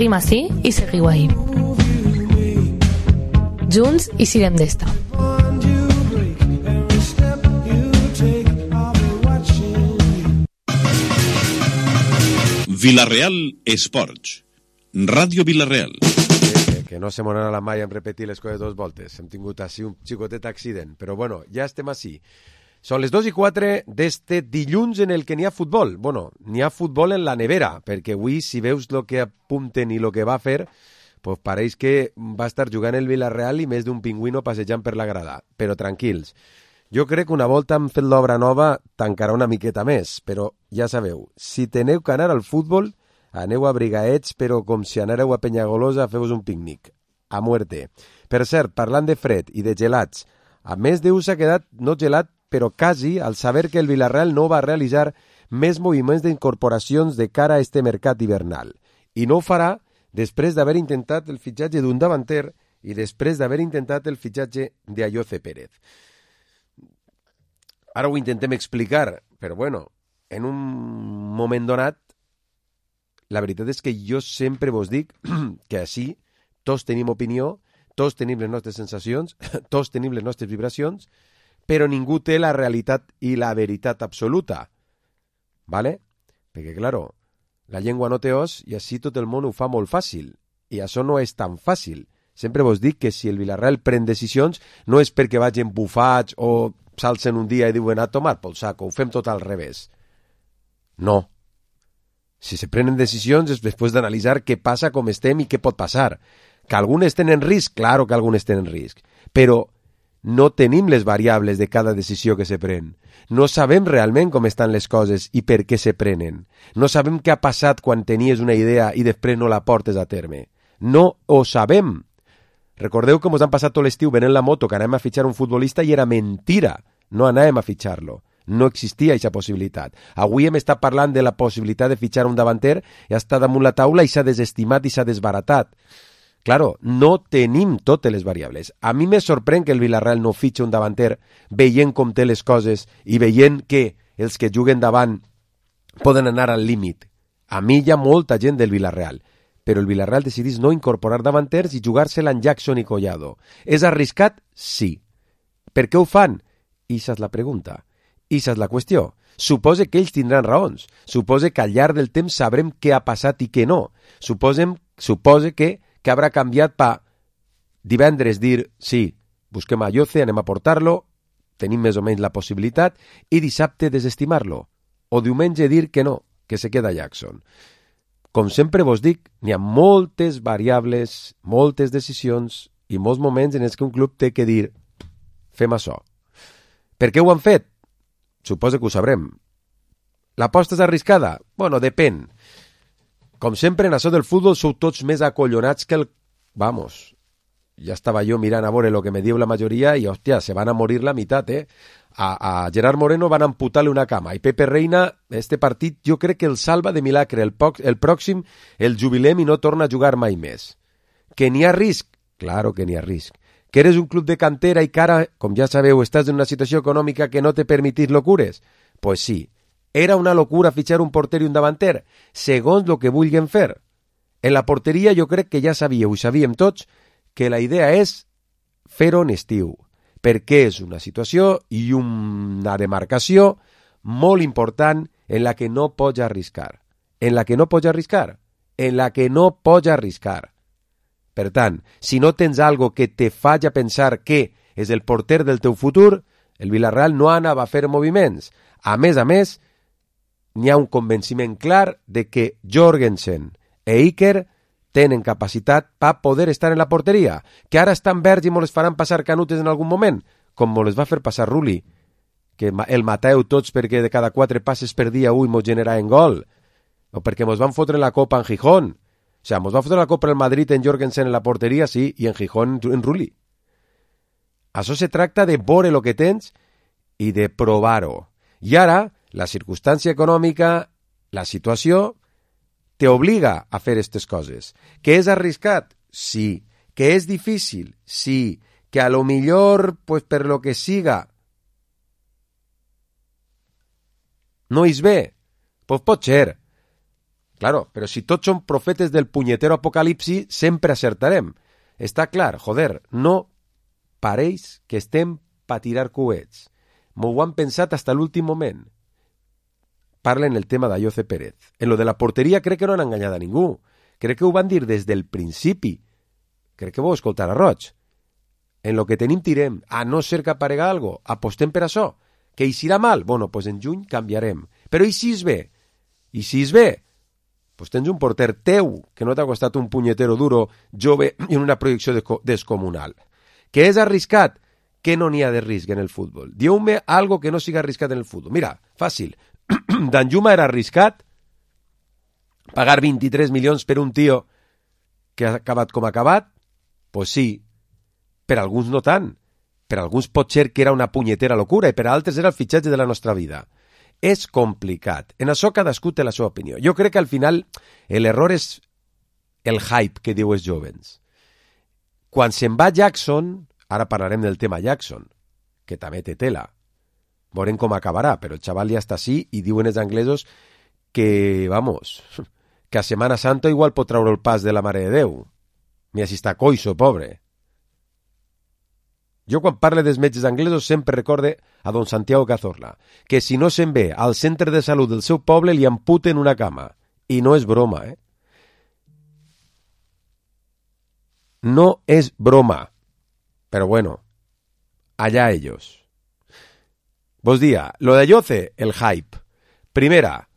Seguim ací i seguiu ahí. Junts i siguem d'esta. Vila-real Esports. Ràdio Vila-real. Que no se m'anarà la mai en repetir les coses dos voltes. Hem tingut així un xicotet accident. Però bueno, ja estem així. Són les 2:04 d'este dilluns en el que n'hi ha futbol. Bueno, n'hi ha futbol en la nevera, perquè avui, si veus el que apunten i el que va fer, pues pareix que va estar jugant el Vila-real i més d'un pingüino passejant per la grada. Però tranquils. Jo crec que una volta hem fet l'obra nova tancarà una miqueta més, però ja sabeu, si teneu que anar al futbol, aneu abrigaets, però com si anareu a Penyagolosa, feu-vos un pícnic. A muerte. Per cert, parlant de fred i de gelats, a més Déu s'ha quedat no gelat, però quasi, al saber que el Vila-real no va realitzar més moviments d'incorporacions de cara a este mercat hivernal. I no ho farà després d'haver intentat el fitxatge d'un davanter i després d'haver intentat el fitxatge d'Ayoce Pérez. Ara ho intentem explicar, però bueno, en un moment donat, la veritat és que jo sempre vos dic que així tots tenim opinió, tots tenim les nostres sensacions, tots tenim les nostres vibracions, però ningú té la realitat i la veritat absoluta. ¿Vale? Perquè, claro, la llengua no té os i així tot el món ho fa molt fàcil. I això no és tan fàcil. Sempre vos dic que si el Vila-real pren decisions no és perquè vagin bufats o s'alcen un dia i diuen a tomar pel saco, ho fem tot al revés. No. Si se prenen decisions és després d'analitzar què passa, com estem i què pot passar. Que algunes tenen risc, claro que algunes tenen risc, però no tenim les variables de cada decisió que se pren. No sabem realment com estan les coses i per què se prenen. No sabem què ha passat quan tenies una idea i després no la portes a terme. No ho sabem. Recordeu com us han passat tot l'estiu venent la moto que anàvem a fitxar un futbolista i era mentira. No anàvem a fitxar-lo. No existia aquesta possibilitat. Avui hem estat parlant de la possibilitat de fitxar un davanter i està damunt la taula i s'ha desestimat i s'ha desbaratat. Claro, no tenim totes les variables. A mi me sorprèn que el Vila-real no fitxa un davanter veient com té les coses i veient que els que juguen davant poden anar al límit. A mi hi ha molta gent del Vila-real, però el Vila-real decidís no incorporar davanters i jugar-se-la en Jackson i Collado. És arriscat? Sí. Per què ho fan? Ixa és la pregunta. Ixa és la qüestió. Supose que ells tindran raons. Supose que al llarg del temps sabrem què ha passat i què no. Supose que haurà canviat per divendres dir, sí, busquem a Ayoce, anem a portar-lo, tenim més o menys la possibilitat, i dissabte desestimar-lo. O diumenge dir que no, que se queda Jackson. Com sempre vos dic, n'hi ha moltes variables, moltes decisions i molts moments en els que un club té que dir fem això. Per què ho han fet? Suposo que ho sabrem. L'aposta és arriscada? Bueno, depèn. Com sempre, en això del futbol sou tots més acollonats que el... Vamos, ja estava jo mirant a veure el que me diu la majoria i, hòstia, se van a morir la meitat, eh? A Gerard Moreno van amputar-li una cama i Pepe Reina, este partit, jo crec que el salva de milagre. El pròxim el jubilem i no torna a jugar mai més. Que n'hi ha risc? Claro que n'hi ha risc. Que eres un club de cantera i que ara, com ja sabeu, estàs en una situació econòmica que no te permetís locures? Pues sí. Era una locura fitxar un porter i un davanter, segons el que vulguin fer. En la porteria jo crec que ja sabíeu i sabíem tots que la idea és fer-ho en estiu, perquè és una situació i una demarcació molt important en la que no pots arriscar. En la que no pots arriscar. En la que no pots arriscar. Per tant, si no tens algo que te faci pensar que és el porter del teu futur, el Vila-real no anava a fer moviments. A més, n'hi ha un convenciment clar de que Jorgensen e Iker tenen capacitat per poder estar en la porteria, que ara estan verds i les faran passar canutes en algun moment, com les va fer passar Rulli, que el mateu tots perquè de cada 4 passes per dia un mos genera en gol, o perquè mos van fotre la Copa en Gijón. O sea, mos va fotre la Copa en el Madrid en Jorgensen en la porteria, sí, i en Gijón en Rulli. Això se tracta de veure el que tens i de provar-ho. I ara, la circumstància econòmica, la situació, te obliga a fer aquestes coses. Que és arriscat? Sí. Que és difícil? Sí. Que a lo millor, pues per lo que siga, no és bé? Pues pot ser. Claro, però si tots som profetes del punyetero apocalipsi, sempre acertarem. Està clar, joder, no pareix que estem pa tirar coets. M'ho han pensat hasta l'últim moment. Parla en el tema d'Ayoce Pérez. En lo de la porteria crec que no han enganyat a ningú. Crec que ho van dir des del principi. Crec que vau escoltar a Roig. En lo que tenim tirem, a no ser que aparega algo, apostem per això. Que hi serà mal? Bueno, pues en juny canviarem. Però i si és bé? I si és bé? Pues tens un porter teu, que no t'ha costat un punyetero duro, jove i en una projecció descomunal. Que és arriscat? Que no n'hi ha de risc en el futbol. Diu-me algo que no siga arriscat en el futbol. Mira, fàcil. Danjuma era arriscat pagar 23 milions per un tio que ha acabat com ha acabat? Pues sí. Per alguns no tant. Per alguns pot ser que era una punyetera locura i per altres era el fitxatge de la nostra vida. És complicat. En això cadascú té la seva opinió. Jo crec que al final l'error és el hype que diu els jovens. Quan se'n va Jackson, ara parlarem del tema Jackson, que també té tela. Veurem com acabarà, però el xaval ja està així i diuen els anglesos que, vamos, que a Semana Santa igual pot treure el pas de la Mare de Déu. Mira si està coixo, pobre. Jo quan parle dels metges anglesos sempre recorde a don Santiago Cazorla, que si no se'n ve al centre de salut del seu poble li amputen una cama. I no és broma, eh? No és broma. Pero bueno, allá ellos. Vos dia, lo de Ayoce, el hype. Primera,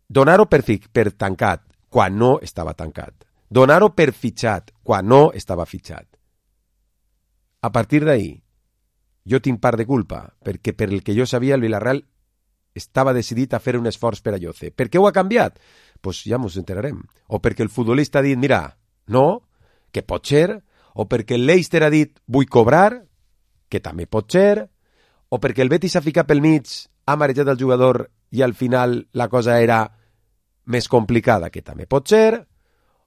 donar-ho per tancat, quan no estava tancat. Donar-ho per fitxat, quan no estava fitxat. A partir d'ahí, jo tinc part de culpa, perquè per el que jo sabia el Villarreal estava decidit a fer un esforç per Ayoce. Per què ho ha canviat? Pues ja ens enterarem. O perquè el futbolista ha dit, mira, no, que pot ser, o perquè el Leicester ha dit, vull cobrar, que també pot ser, o perquè el Betis s'ha ficat pel mig, ha marejat el jugador i al final la cosa era més complicada, que també pot ser,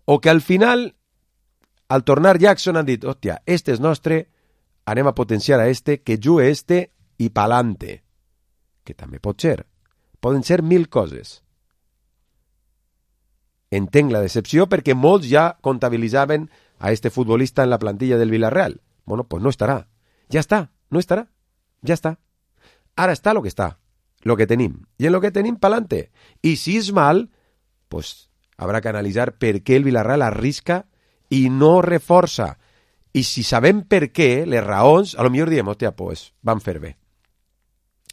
o que al final, al tornar Jackson han dit, hòstia, este és nostre, anem a potenciar a este, que jugue este i pa'lante, que també pot ser. Poden ser 1000 coses. Entenc la decepció perquè molts ja comptabilitzaven a este futbolista en la plantilla del Villarreal. Bueno, pues no estarà. Ja està, no estarà. Ja està. Ara està lo que està, lo que tenim. I en lo que tenim, pa'lante. I si és mal, pues habrá que analitzar per què el Villarreal arrisca i no reforça. I si sabem per què, les raons, a lo millor diem, hòstia, pues van fer bé.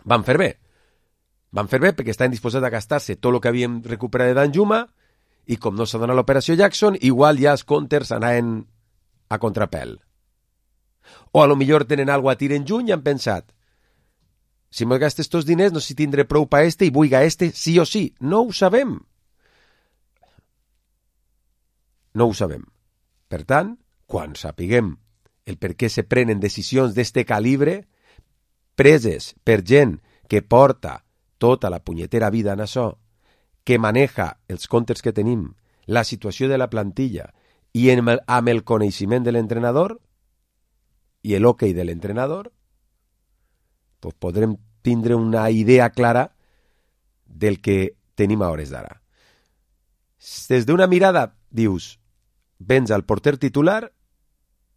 Van fer bé. Van fer bé perquè estan disposats a gastar-se tot el que havíem recuperat de Danjuma i com no s'ha donat l'operació Jackson, igual ja els counters anaven a contrapèl. O a lo millor tenen alguna a tir en juny i han pensat, si me gastes estos diners no sé si tindré prou pa este i vull a este sí o sí. No ho sabem. No ho sabem. Per tant, quan sapiguem el per què se prenen decisions d'este calibre, preses per gent que porta tota la punyetera vida en això, que maneja els comptes que tenim, la situació de la plantilla i amb el coneixement de l'entrenador i l'ok de l'entrenador, pues podrem tindre una idea clara del que tenim a hores d'ara. Des d'una mirada, dius, vens al porter titular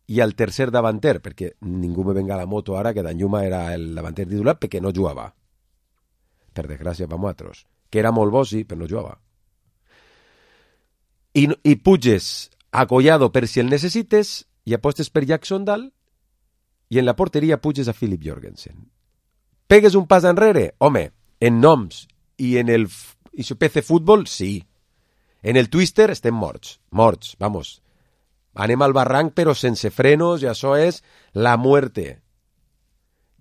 i al tercer davanter, perquè ningú me venga a la moto ara que Danjuma era el davanter titular perquè no jugava. Per desgràcia per nosaltres. Que era molt bo, sí, però no jugava. I puges a Collado per si el necessites i apostes per Jackson dalt i en la porteria puges a Philip Jorgensen. Pegues un pas enrere? Home, en noms i en el PC Fútbol, sí. En el Twister estem morts, vamos. Anem al barranc però sense frenos i això és la muerte.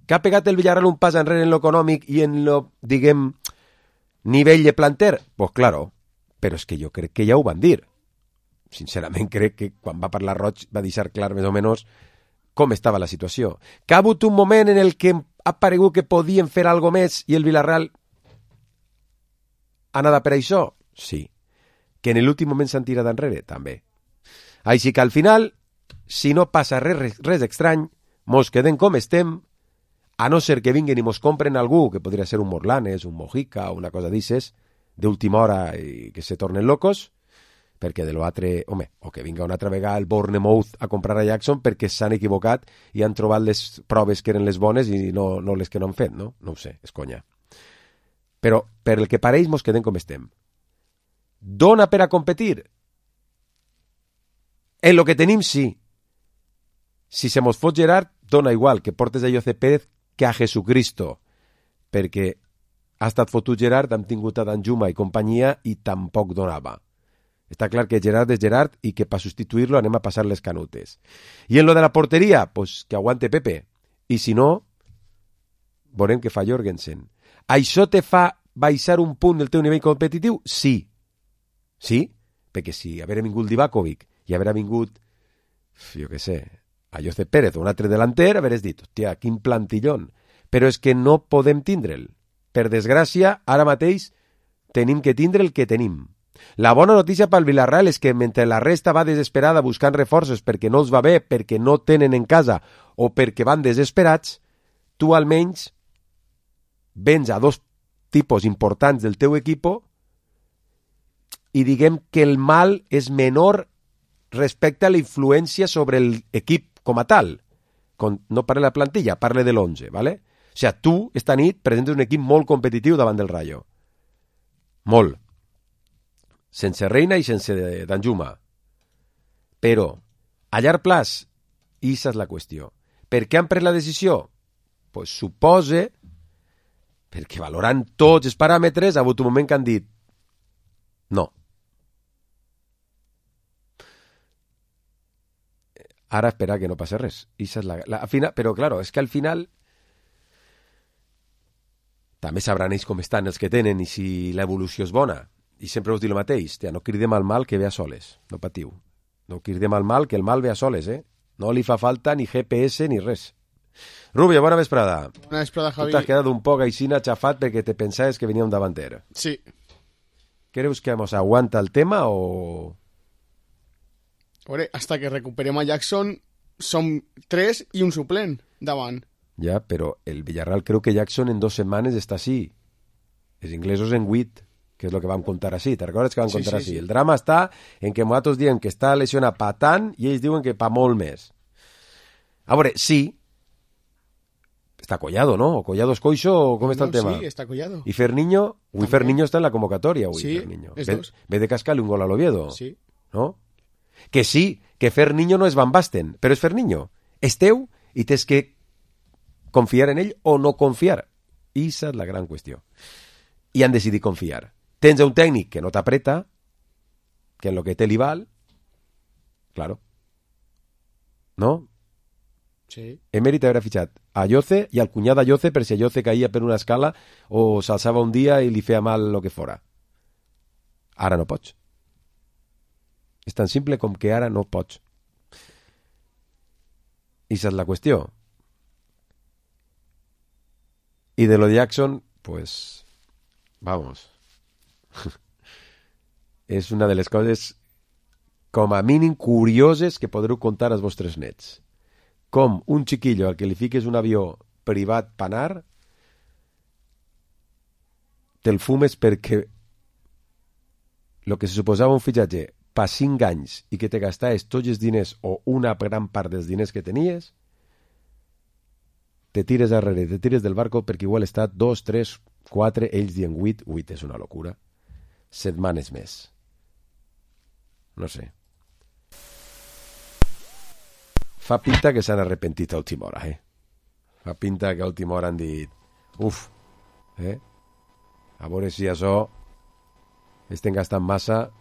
Que ha pegat el Villarreal un pas enrere en lo econòmic i en lo, diguem, nivell de planter? Pues claro, però és que jo crec que ja ho van dir. Sincerament crec que quan va parlar Roig va deixar clar més o menys com estava la situació. Que ha hagut un moment en el que ha paregut que podien fer algo més i el Villarreal ha anat per això? Sí. Que en l'últim moment s'han tirat enrere? També. Així que al final, si no passa res estrany, mos quedem com estem, a no ser que vinguen i mos compren algú, que podria ser un Morlanes, un Mojica o una cosa d'ixes, d'última hora i que se tornen locos, perquè de l'altre, home, o que vinga una altra vegada el Bournemouth a comprar a Jackson perquè s'han equivocat i han trobat les proves que eren les bones i no les que no han fet, no? No ho sé, és conya. Però per el que pareix mos quedem com estem. Dona per a competir? En lo que tenim, sí. Si se mos fot Gerard, dona igual que portes a José Pérez que a Jesucristo, perquè ha estat fotut Gerard, hem tingut a Danjuma i companyia i tampoc donava. Està clar que Gerard és Gerard i que per substituir-lo anem a passar les canutes. I en lo de la porteria, pues que aguante Pepe. I si no, veurem què fa Jorgensen. Això te fa baixar un punt del teu nivell competitiu? Sí. Sí? Perquè si haver vingut Divakovic i haver vingut, jo què sé, a José Pérez o un altre delanter, haveres dit, hòstia, quin plantillón. Però és que no podem tindre'l. Per desgràcia, ara mateix tenim que tindre el que tenim. La bona notícia pel Villarreal és que mentre la resta va desesperada buscant reforços perquè no els va bé, perquè no tenen en casa o perquè van desesperats, tu almenys vens a dos tipus importants del teu equipo i diguem que el mal és menor respecte a la influència sobre l'equip com a tal. No parle de la plantilla, parle de l'11, ¿vale? O sigui, tu, esta nit, presentes un equip molt competitiu davant del Rayo. Molt. Sense Reina i sense Danjuma. Però, a llarg plaç, aquesta és la qüestió. Per què han pres la decisió? Pues supose, perquè valorant tots els paràmetres, ha hagut un moment que han dit no. Ara esperar que no passi res. Però, claro, és que al final també sabran ells com estan els que tenen i si l'evolució és bona. I sempre us dic el mateix, no cridem al mal que ve a soles, no patiu. No cridem al mal que el mal ve a soles, No li fa falta ni GPS ni res. Rubio, bona vesprada. Bona vesprada, Javi. Tu t'has quedat un poc aixina xafat perquè te pensaves que venia un davanter. Sí. ¿Creus que nos aguanta el tema o...? Hombre, hasta que recuperem a Jackson som 3 i un suplent davant. Ja, però el Villarreal creu que Jackson en 2 setmanes està així. Els inglesos en 8, que és el que vam contar així. Te'n recordes que vam contar així? Sí. El drama està en que nosaltres diem que està lesionat pa tant i ells diuen que pa molt més. A veure, sí, està Collado, ¿no? O Collado es coixo, o com està el tema? Sí, està Collado. I Ferniño? Avui Ferniño està en la convocatòria. Sí, Ferniño. és dos. Ve de cascar-li un gol a l'Oviedo. Sí. ¿No? Que sí, que Ferniño no és Van Basten, però és Ferniño. És teu i tens que confiar en ell o no confiar. Esa és la gran qüestió. I han decidit confiar. Tens un tècnic que no t'apreta, que en lo que té li val, claro. No? Sí. Emèrit haver fitxat a Yoce i al cunyat de Yoce per si Yoce caïa per una escala o s'alçava un dia i li feia mal lo que fora. Ara no pots. És tan simple com que ara no pots. I esa és la qüestió. I de lo de Jackson, pues, vamos. És una de les coses com a mínim curioses que podreu contar als vostres nets. Com un xiquillo al que li fiques un avió privat panar te'l fumes perquè el que se suposava un fitxatge per 5 anys i que te gastaves tots els diners o una gran part dels diners que tenies, te tires darrere, te tires del barco perquè igual està 2, 3, 4, ells dient 8 és una locura, setmanes més. No sé. Fa pinta que s'han arrepentit a última hora, Fa pinta que a última hora han dit a veure si això estem gastant massa.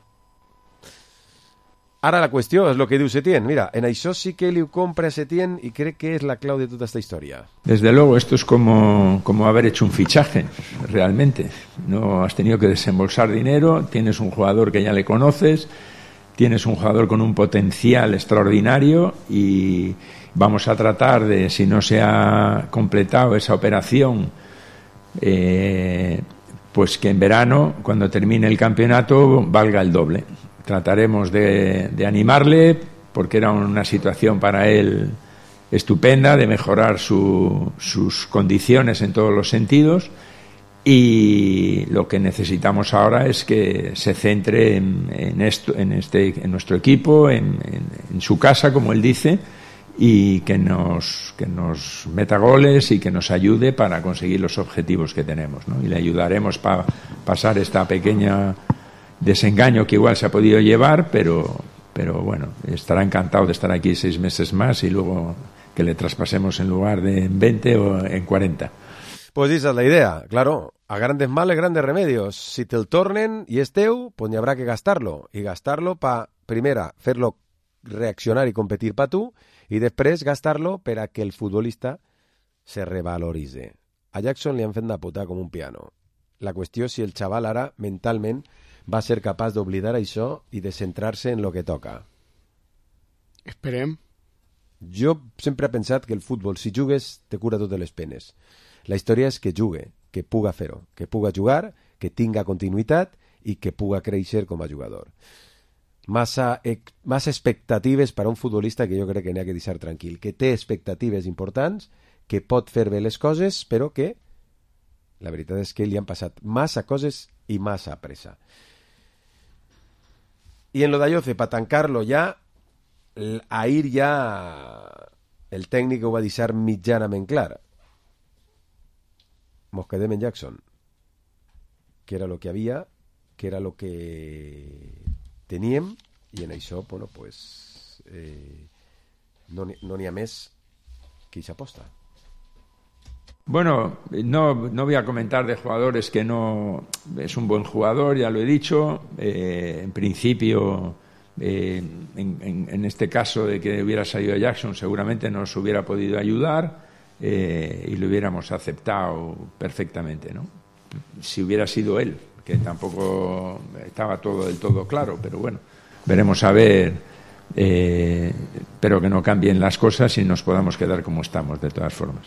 Ara la qüestió és el que diu Setién. Mira, en això sí que li ho compra a Setién y cree que es la clave de toda esta historia. Desde luego, esto es como haber hecho un fichaje, realmente. No has tenido que desembolsar dinero, tienes un jugador que ya le conoces, tienes un jugador con un potencial extraordinario y vamos a tratar de, si no se ha completado esa operación, pues que en verano, cuando termine el campeonato, valga el doble. Trataremos de animarle porque era una situación para él estupenda, de mejorar sus condiciones en todos los sentidos y lo que necesitamos ahora es que se centre en nuestro equipo, en su casa, como él dice, y que nos meta goles y que nos ayude para conseguir los objetivos que tenemos, ¿no? Y le ayudaremos para pasar esta pequeña desengaño que igual se ha podido llevar, pero bueno, estará encantado de estar aquí 6 meses más y luego que le traspasemos en lugar de en 20 o en 40. Pues esa es la idea, claro. A grandes males, grandes remedios. Si te'l tornen i és teu, pues n'hi habrá que gastar-lo. I gastar-lo para, primera, fer-lo reaccionar i competir per tu, i després gastar-lo per a que el futbolista se revaloritze. A Jackson li han fet una puta com un piano. La qüestió és si el xaval ara, mentalment, va ser capaç d'oblidar això i de centrar-se en lo que toca. Esperem. Jo sempre he pensat que el futbol, si jugues, te cura totes les penes. La història és que jugue, que puga fer-ho, que puga jugar, que tinga continuïtat i que puga créixer com a jugador. Massa expectatives per a un futbolista que jo crec que n'hi ha que deixar tranquil, que té expectatives importants, que pot fer bé les coses, però que la veritat és que li han passat massa coses i massa pressa. I en lo d'Ayoce, per tancar-lo ja, ahir ja el tècnic ho va deixar mitjanament clar. Nos quedem en Jackson, que era lo que havia, que era lo que teníem, i en això, bueno, pues, no n'hi ha més que hi s'aposta. Bueno, no voy a comentar de jugadores que no... Es un buen jugador, ya lo he dicho. En principio, en este caso de que hubiera salido Jackson, seguramente nos hubiera podido ayudar y lo hubiéramos aceptado perfectamente, ¿no? Si hubiera sido él, que tampoco estaba todo del todo claro, pero bueno, veremos a ver. Pero que no cambien las cosas y nos podamos quedar como estamos, de todas formas.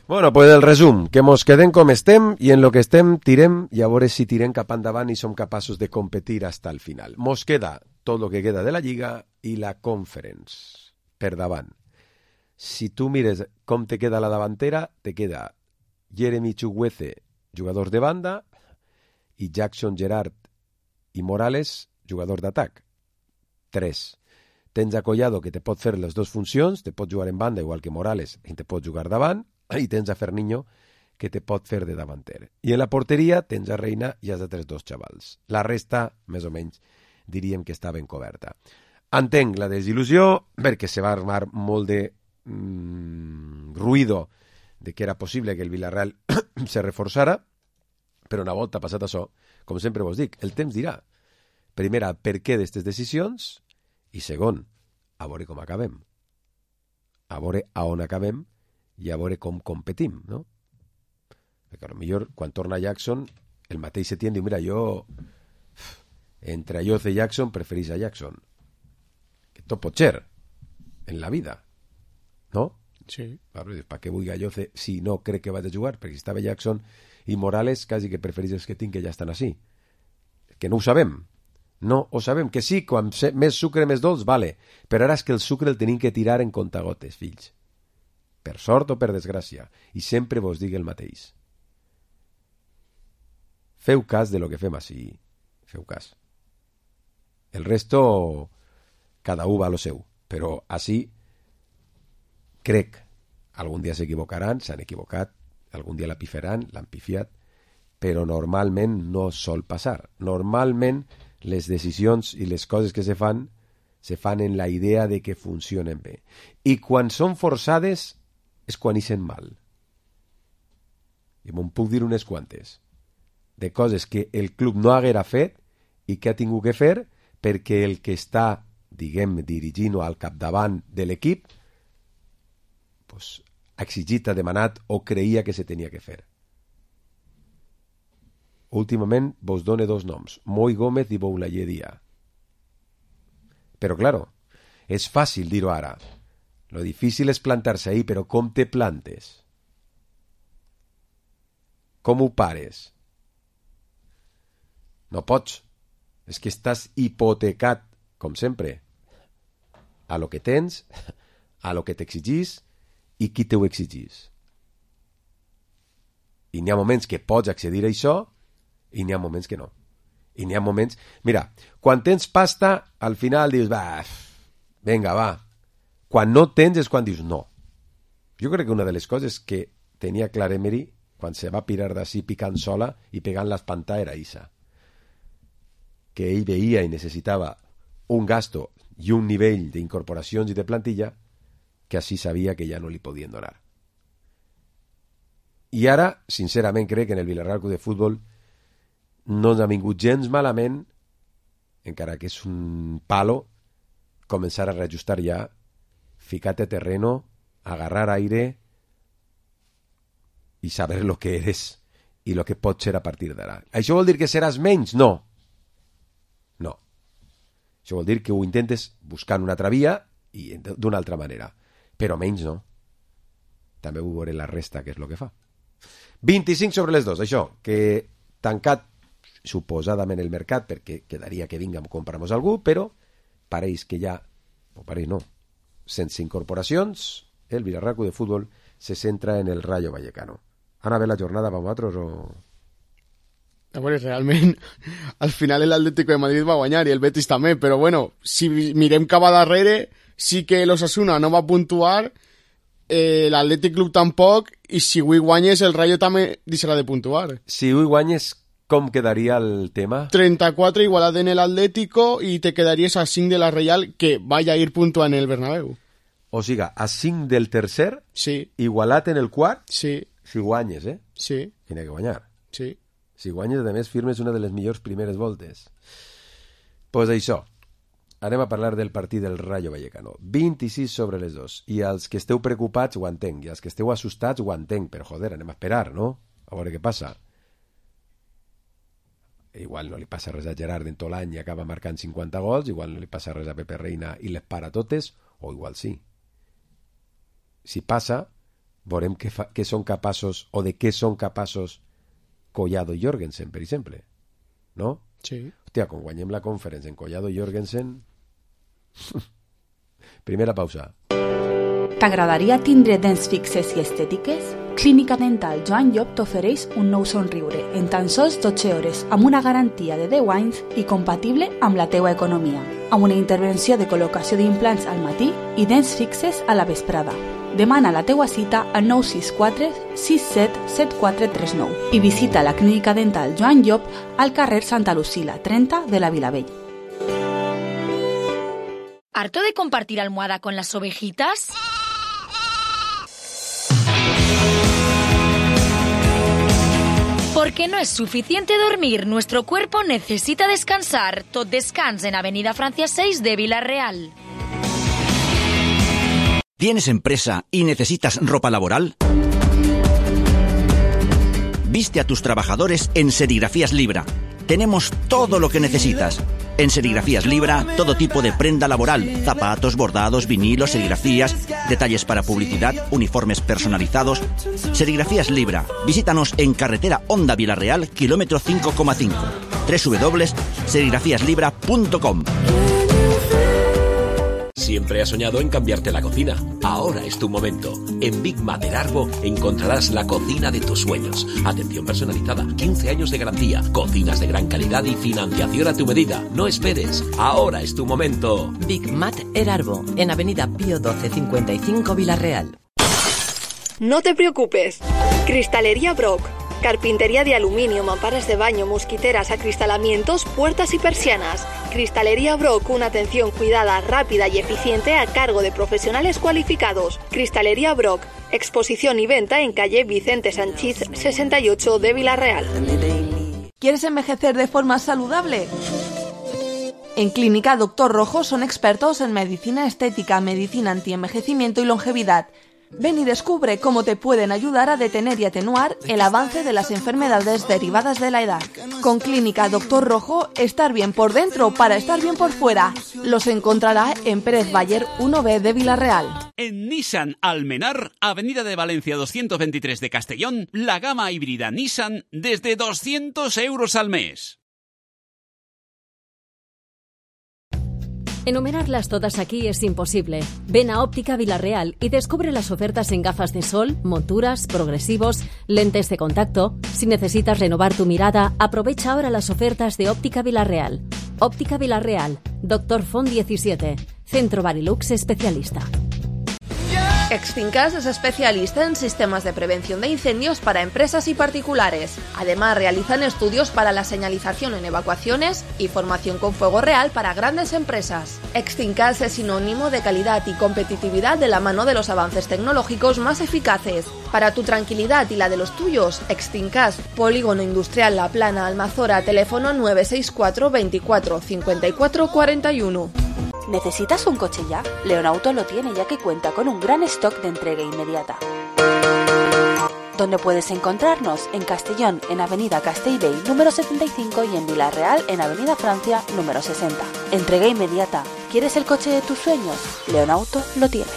Bueno, pues el resum, que mos quedem com estem i en lo que estem tirem i a veure si tirem cap endavant i som capaços de competir hasta el final. Mos queda tot lo que queda de la Lliga i la Conference per davant. Si tu mires com te queda la davantera, te queda Jeremy Chukwueze, jugador de banda, i Jackson, Gerard i Morales, jugador d'atac. 3. Tens a Collado, que te pot fer les dues funcions, te pot jugar en banda igual que Morales i te pot jugar davant, i tens a Ferniño, que te pot fer de davanter. I en la porteria tens a Reina i els altres dos xavals. La resta, més o menys, diríem que està ben coberta. Entenc la desil·lusió, perquè se va armar molt de ruïdo de que era possible que el Villarreal se reforçara, però una volta passat això, com sempre vos dic, el temps dirà. Primera, per què d'aquestes decisions? I segon, a veure com acabem. A veure a on acabem i a veure com competim, no? Perquè potser quan torna Jackson, el mateix Setién diu, mira, jo entre Ayoce i Jackson preferís a Jackson. Que tot pot ser en la vida, no? Sí. Claro, per què vull Ayoce si no crec que vaig a jugar? Perquè si estava Jackson i Morales, quasi que preferís els que tinc que ja estan així. Que no ho sabem. No ho sabem. Que sí, quan més sucre, més dolç, vale. Però ara és que el sucre el tenim que tirar en contagotes, fills. Per sort o per desgràcia. I sempre vos dic el mateix. Feu cas de lo que fem així. Feu cas. El resto, cada un va a lo seu. Però així, crec, algun dia s'equivocaran, s'han equivocat, algun dia la pifaran, l'han pifiat, però normalment no sol passar. Normalment les decisions i les coses que se fan en la idea de que funcionen bé. I quan són forçades és quan ixen mal. I me'n puc dir unes quantes de coses que el club no haguera fet i que ha tingut que fer perquè el que està, diguem, dirigint o al capdavant de l'equip pues, ha exigit, ha demanat o creia que se tenia que fer. Últimament vos done dos noms, Moi Gómez i Boulaye Dia. Però, claro, és fàcil dir-ho ara. Lo difícil és plantar-se ahí, però com te plantes? Com ho pares? No pots. És que estàs hipotecat, com sempre, a lo que tens, a lo que t'exigís i qui t'ho exigís. I n'hi ha moments que pots accedir a això i n'hi ha moments que no. I n'hi ha moments... Mira, quan tens pasta, al final dius, va, venga, va. Quan no tens és quan dius no. Jo crec que una de les coses que tenia Clare Emery quan se va pirar d'ací picant sola i pegant l'espantà era Isa. Que ell veia i necessitava un gasto i un nivell d'incorporacions i de plantilla que així sabia que ja no li podien donar. I ara, sincerament, crec que en el Villarreal Club de Futbol no ens ha vingut gens malament, encara que és un palo, començar a reajustar ja, ficar-te a terreno, agarrar aire i saber lo que eres i lo que pots ser a partir d'ara. Això vol dir que seràs menys? No. No. Això vol dir que ho intentes buscant una altra via i d'una altra manera. Però menys no. També ho veuré la resta, que és el que fa. 25 sobre les 2, això, que tancat suposadament el mercat, perquè quedaria que vinga a comprar-nos algú, però pareix que ja, o pareix no, sense incorporacions, el Villarreal Club de Futbol se centra en el Rayo Vallecano. Ana, ve la jornada per vosaltres o...? A veure, realment, al final l'Atlético de Madrid va guanyar i el Betis també, però bueno, si mirem cap a darrere, sí que l'Osasuna no va puntuar, l'Atlètic Club tampoc, i si avui guanyes el Rayo també deixarà de puntuar. Si avui guanyes, com quedaria el tema? 34 igualat en l'Atlético i te quedaries a 5 de la Real, que vaya a ir puntuant en el Bernabéu. O sigui, a 5 del tercer, sí. Igualat en el quart, sí. Si guanyes, eh? Sí. Tiene que guanyar. Sí. Si guanyes, a més, firmes una de les millors primeres voltes. Pues això. Anem a parlar del partit del Rayo Vallecano. 26 sobre les 2. I els que esteu preocupats ho entenc. I els que esteu assustats ho entenc. Però, joder, anem a esperar, no? A veure què passa. Igual no li passa res a Gerard en tot l'any i acaba marcant 50 gols. Igual no li passa res a Pepe Reina i les para totes. O igual sí. Si passa, veurem què són capaços o de què són capaços Collado i Jorgensen, per exemple. No? Sí. Hòstia, quan guanyem la Conference en Collado i Jorgensen... Primera pausa. T'agradaria tindre dents fixes i estètiques? Clínica Dental Joan Llop t'ofereix un nou somriure en tan sols 12 hores amb una garantia de 10 anys i compatible amb la teua economia. Amb una intervenció de col·locació d'implants al matí i dents fixes a la vesprada. Demana la teua cita al 964 67 7439 i visita la Clínica Dental Joan Llop al carrer Santa Lucila 30 de la Vilavell. ¿Harto de compartir almohada con las ovejitas? Porque no es suficiente dormir, nuestro cuerpo necesita descansar. Tot Descans en Avenida Francia 6 de Villarreal. ¿Tienes empresa y necesitas ropa laboral? Viste a tus trabajadores en Serigrafías Libra. Tenemos todo lo que necesitas. En Serigrafías Libra, todo tipo de prenda laboral, zapatos, bordados, vinilos, serigrafías, detalles para publicidad, uniformes personalizados. Serigrafías Libra. Visítanos en carretera Honda Villarreal, kilómetro 5,5. www.serigrafíaslibra.com. Siempre has soñado en cambiarte la cocina. Ahora es tu momento. En Big Mat Erarbo encontrarás la cocina de tus sueños. Atención personalizada, 15 años de garantía, cocinas de gran calidad y financiación a tu medida. No esperes. Ahora es tu momento. Big Mat Erarbo, en Avenida Pío 12 55 Villarreal. No te preocupes. Cristalería Brock. Carpintería de aluminio, mamparas de baño, mosquiteras, acristalamientos, puertas y persianas. Cristalería Brock, una atención cuidada, rápida y eficiente a cargo de profesionales cualificados. Cristalería Brock, exposición y venta en calle Vicente Sanchís 68 de Villarreal. ¿Quieres envejecer de forma saludable? En Clínica Doctor Rojo son expertos en medicina estética, medicina antienvejecimiento y longevidad. Ven y descubre cómo te pueden ayudar a detener y atenuar el avance de las enfermedades derivadas de la edad. Con Clínica Doctor Rojo, estar bien por dentro para estar bien por fuera. Los encontrará en Pérez Bayer 1B de Villarreal. En Nissan Almenar, Avenida de Valencia 223 de Castellón, la gama híbrida Nissan desde 200 euros al mes. Enumerarlas todas aquí es imposible. Ven a Óptica Villarreal y descubre las ofertas en gafas de sol, monturas, progresivos, lentes de contacto. Si necesitas renovar tu mirada, aprovecha ahora las ofertas de Óptica Villarreal. Óptica Villarreal, Dr. Font 17, Centro Barilux especialista. Extincas es especialista en sistemas de prevención de incendios para empresas y particulares. Además, realizan estudios para la señalización en evacuaciones y formación con fuego real para grandes empresas. Extincas es sinónimo de calidad y competitividad de la mano de los avances tecnológicos más eficaces. Para tu tranquilidad y la de los tuyos, Extincas, Polígono Industrial La Plana, Almazora, teléfono 964 24 54 41. ¿Necesitas un coche ya? Leonauto lo tiene, ya que cuenta con un gran stock de entrega inmediata. ¿Dónde puedes encontrarnos? En Castellón, en Avenida Castellbell número 75 y en Villarreal, en Avenida Francia número 60. Entrega inmediata. ¿Quieres el coche de tus sueños? Leonauto lo tiene.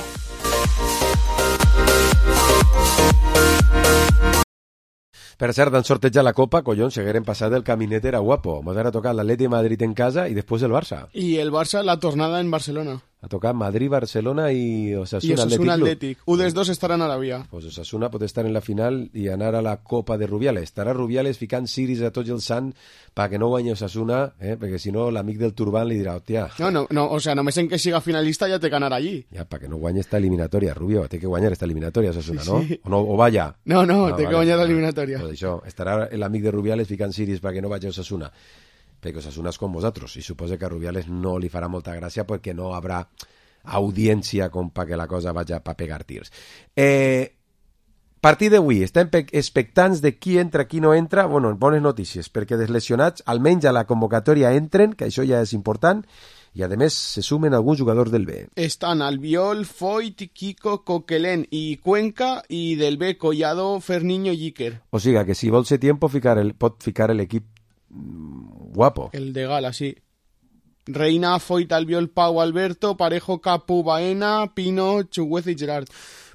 Per cert, han sortejat la Copa, collons, seguirem passat el caminet era guapo. Mos ha tocat l'Atleti de Madrid en casa i després el Barça. Y el Barça, la tornada en Barcelona. Ha tocat Madrid, Barcelona i Osasuna, Y Osasuna Athletic Club. 1 dels 2 estaran a la via. Pues Osasuna pot estar en la final i anar a la Copa de Rubiales. Estarà Rubiales ficant ciris a tots els sant perquè no guanyi Osasuna, perquè si no l'amic del Turban li dirà, hòstia... No, o sea, només en que siga finalista ja té que anar allí. Ja, perquè no guanyi esta eliminatòria, Rubio. Té que guanyar esta eliminatòria, Osasuna, Sí. no? O vaya. No, té que guanyar l'eliminatòria. Pues això, estarà l'amic de Rubiales ficant ciris perquè no vagi a Osasuna. Perquè Osasuna és com vosaltres, i suposa que a Rubiales no li farà molta gràcia perquè no habrà audiència com perquè la cosa vagi a pegar tirs. Partit d'avui, estem expectants de qui entra, qui no entra. Bueno, bones notícies, perquè dels lesionats almenys a la convocatòria entren, que això ja és important, i a més se sumen alguns jugadors del B. Estan Albiol, Foyt, Kiko, Coquelin i Cuenca, i del B Collado, Ferniño i Iker. O sigui que si vol ser tiempo pot ficar l'equip guapo. El de Gala, sí. Reina, Foyt, Albiol, Pau, Alberto, Parejo, Capu, Baena, Pino, Chugueza i Gerard.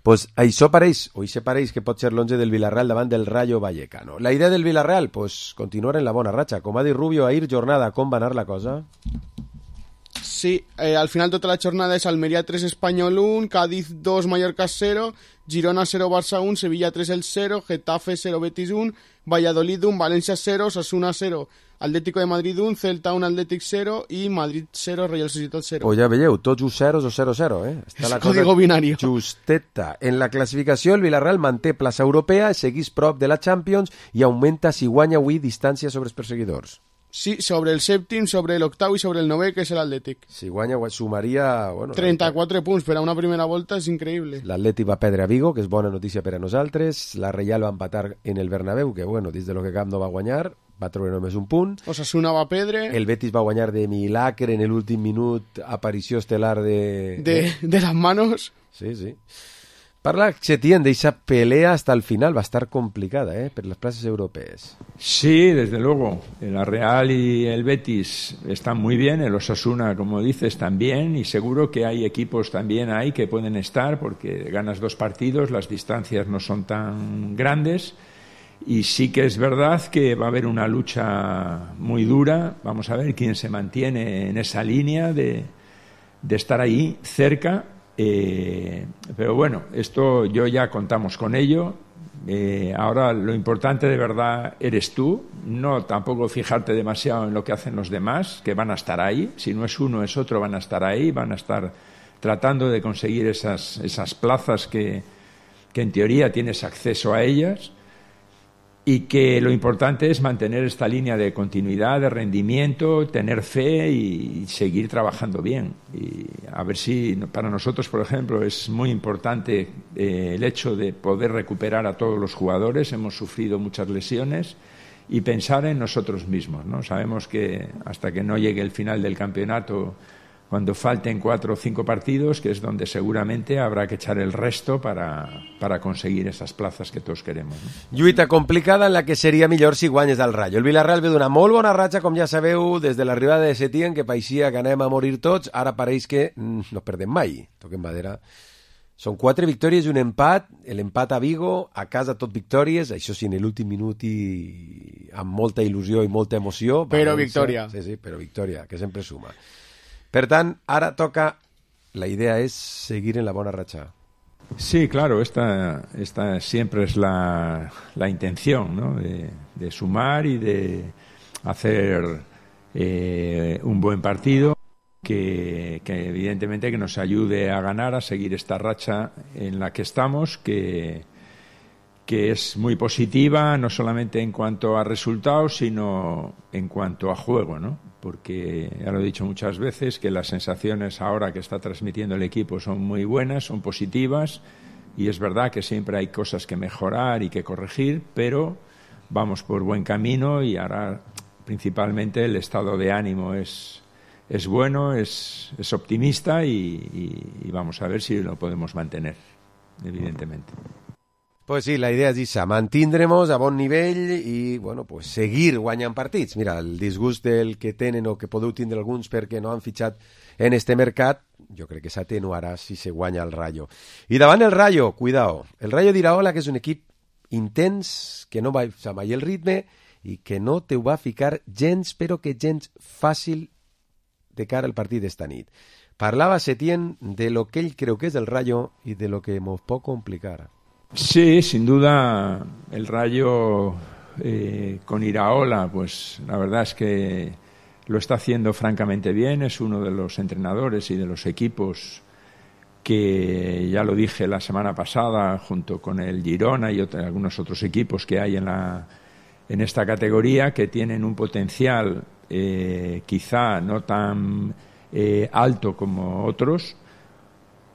Pues això pareix que pot ser l'11 del Villarreal davant del Rayo Vallecano. La idea del Villarreal, pues continuar en la bona ratxa. Com ha dit Rubio, ahir jornada, com va anar la cosa? Sí, al final tota la jornada és Almeria 3, Espanyol 1, Cádiz 2, Mallorca 0, Girona 0, Barça 1, Sevilla 3, el 0, Getafe 0, Betis 1, Valladolid 1, València 0, Osasuna 0, Atlético de Madrid 1, Celta 1, Atlètic 0 i Madrid 0, Real Societat 0. Pues ja veieu, tots uns zeros o 0-0, Està la código binario. Justeta. En la classificació, el Villarreal manté plaça europea, seguís prop de la Champions i augmenta, si guanya avui, distància sobre els perseguidors. Sí, sobre el sèptim, sobre l'octau i sobre el novè, que és l'Atlètic. Si guanya, sumaria... Bueno, 34 punts per a una primera volta, és increïble. L'Atlètic va perdre a Vigo, que és bona notícia per a nosaltres. La Reial va empatar en el Bernabéu, que, bueno, dins de lo que cap no va guanyar, va treure només un punt. Osasuna va perdre. El Betis va guanyar de milagre en l'últim minut, aparició estel·lar de las manos. Sí. Parla Setién de esa pelea hasta el final, va a estar complicada, por las plazas europeas. Sí, desde luego. La Real y el Betis están muy bien, el Osasuna, como dices, también, y seguro que hay equipos también ahí que pueden estar, porque ganas 2 partidos, las distancias no son tan grandes, y sí que es verdad que va a haber una lucha muy dura. Vamos a ver quién se mantiene en esa línea de estar ahí cerca. Pero bueno, esto yo ya contamos con ello. Ahora lo importante de verdad eres tú, no tampoco fijarte demasiado en lo que hacen los demás, que van a estar ahí. Si no es uno es otro, van a estar ahí, van a estar tratando de conseguir esas plazas que en teoría tienes acceso a ellas. Y que lo importante es mantener esta línea de continuidad, de rendimiento, tener fe y seguir trabajando bien. Y a ver si para nosotros, por ejemplo, es muy importante el hecho de poder recuperar a todos los jugadores. Hemos sufrido muchas lesiones y pensar en nosotros mismos, ¿no? Sabemos que hasta que no llegue el final del campeonato, cuando falten 4 o 5 partidos, que es donde seguramente habrá que echar el resto para conseguir esas plazas que todos queremos, ¿no? Lluita complicada en la que seria millor si guanyes al Rayo. El Villarreal ve d'una molt bona ratxa, com ja sabeu, des de l'arribada de Setién, que pareixia que anem a morir tots. Ara pareix que no perdem mai. Toquem madera. Són 4 victòries i un empat. L'empat a Vigo, a casa tot victòries. Això sí, en l'últim minut i amb molta il·lusió i molta emoció. Però victòria. Sí, però victòria, que sempre suma. Per tant, ara toca... La idea es seguir en la buena racha. Sí, claro, esta siempre es la intención, ¿no? De sumar y de hacer un buen partido que evidentemente que nos ayude a ganar, a seguir esta racha en la que estamos, que es muy positiva, no solamente en cuanto a resultados, sino en cuanto a juego, ¿no? Porque ya lo he dicho muchas veces, que las sensaciones ahora que está transmitiendo el equipo son muy buenas, son positivas, y es verdad que siempre hay cosas que mejorar y que corregir, pero vamos por buen camino y ahora principalmente el estado de ánimo es bueno, es optimista y vamos a ver si lo podemos mantener, evidentemente. Pues sí, la idea és esa, mantindrem-nos a bon nivell i, bueno, pues seguir guanyant partits. Mira, el disgust del que tenen o que podeu tindre alguns perquè no han fitxat en este mercat, jo crec que s'atenuarà si se guanya el Rayo. I davant el Rayo, cuidao, el Rayo d'Iraola, que és un equip intens, que no va mai el ritme i que no te ho va ficar gens, però que gens fàcil de cara al partit d'esta nit. Parlava Setién de lo que ell creu que és el Rayo i de lo que mos pot complicar. Sí, sin duda el Rayo con Iraola, pues la verdad es que lo está haciendo francamente bien, es uno de los entrenadores y de los equipos que, ya lo dije la semana pasada, junto con el Girona y algunos otros equipos que hay en esta categoría, que tienen un potencial quizá no tan alto como otros,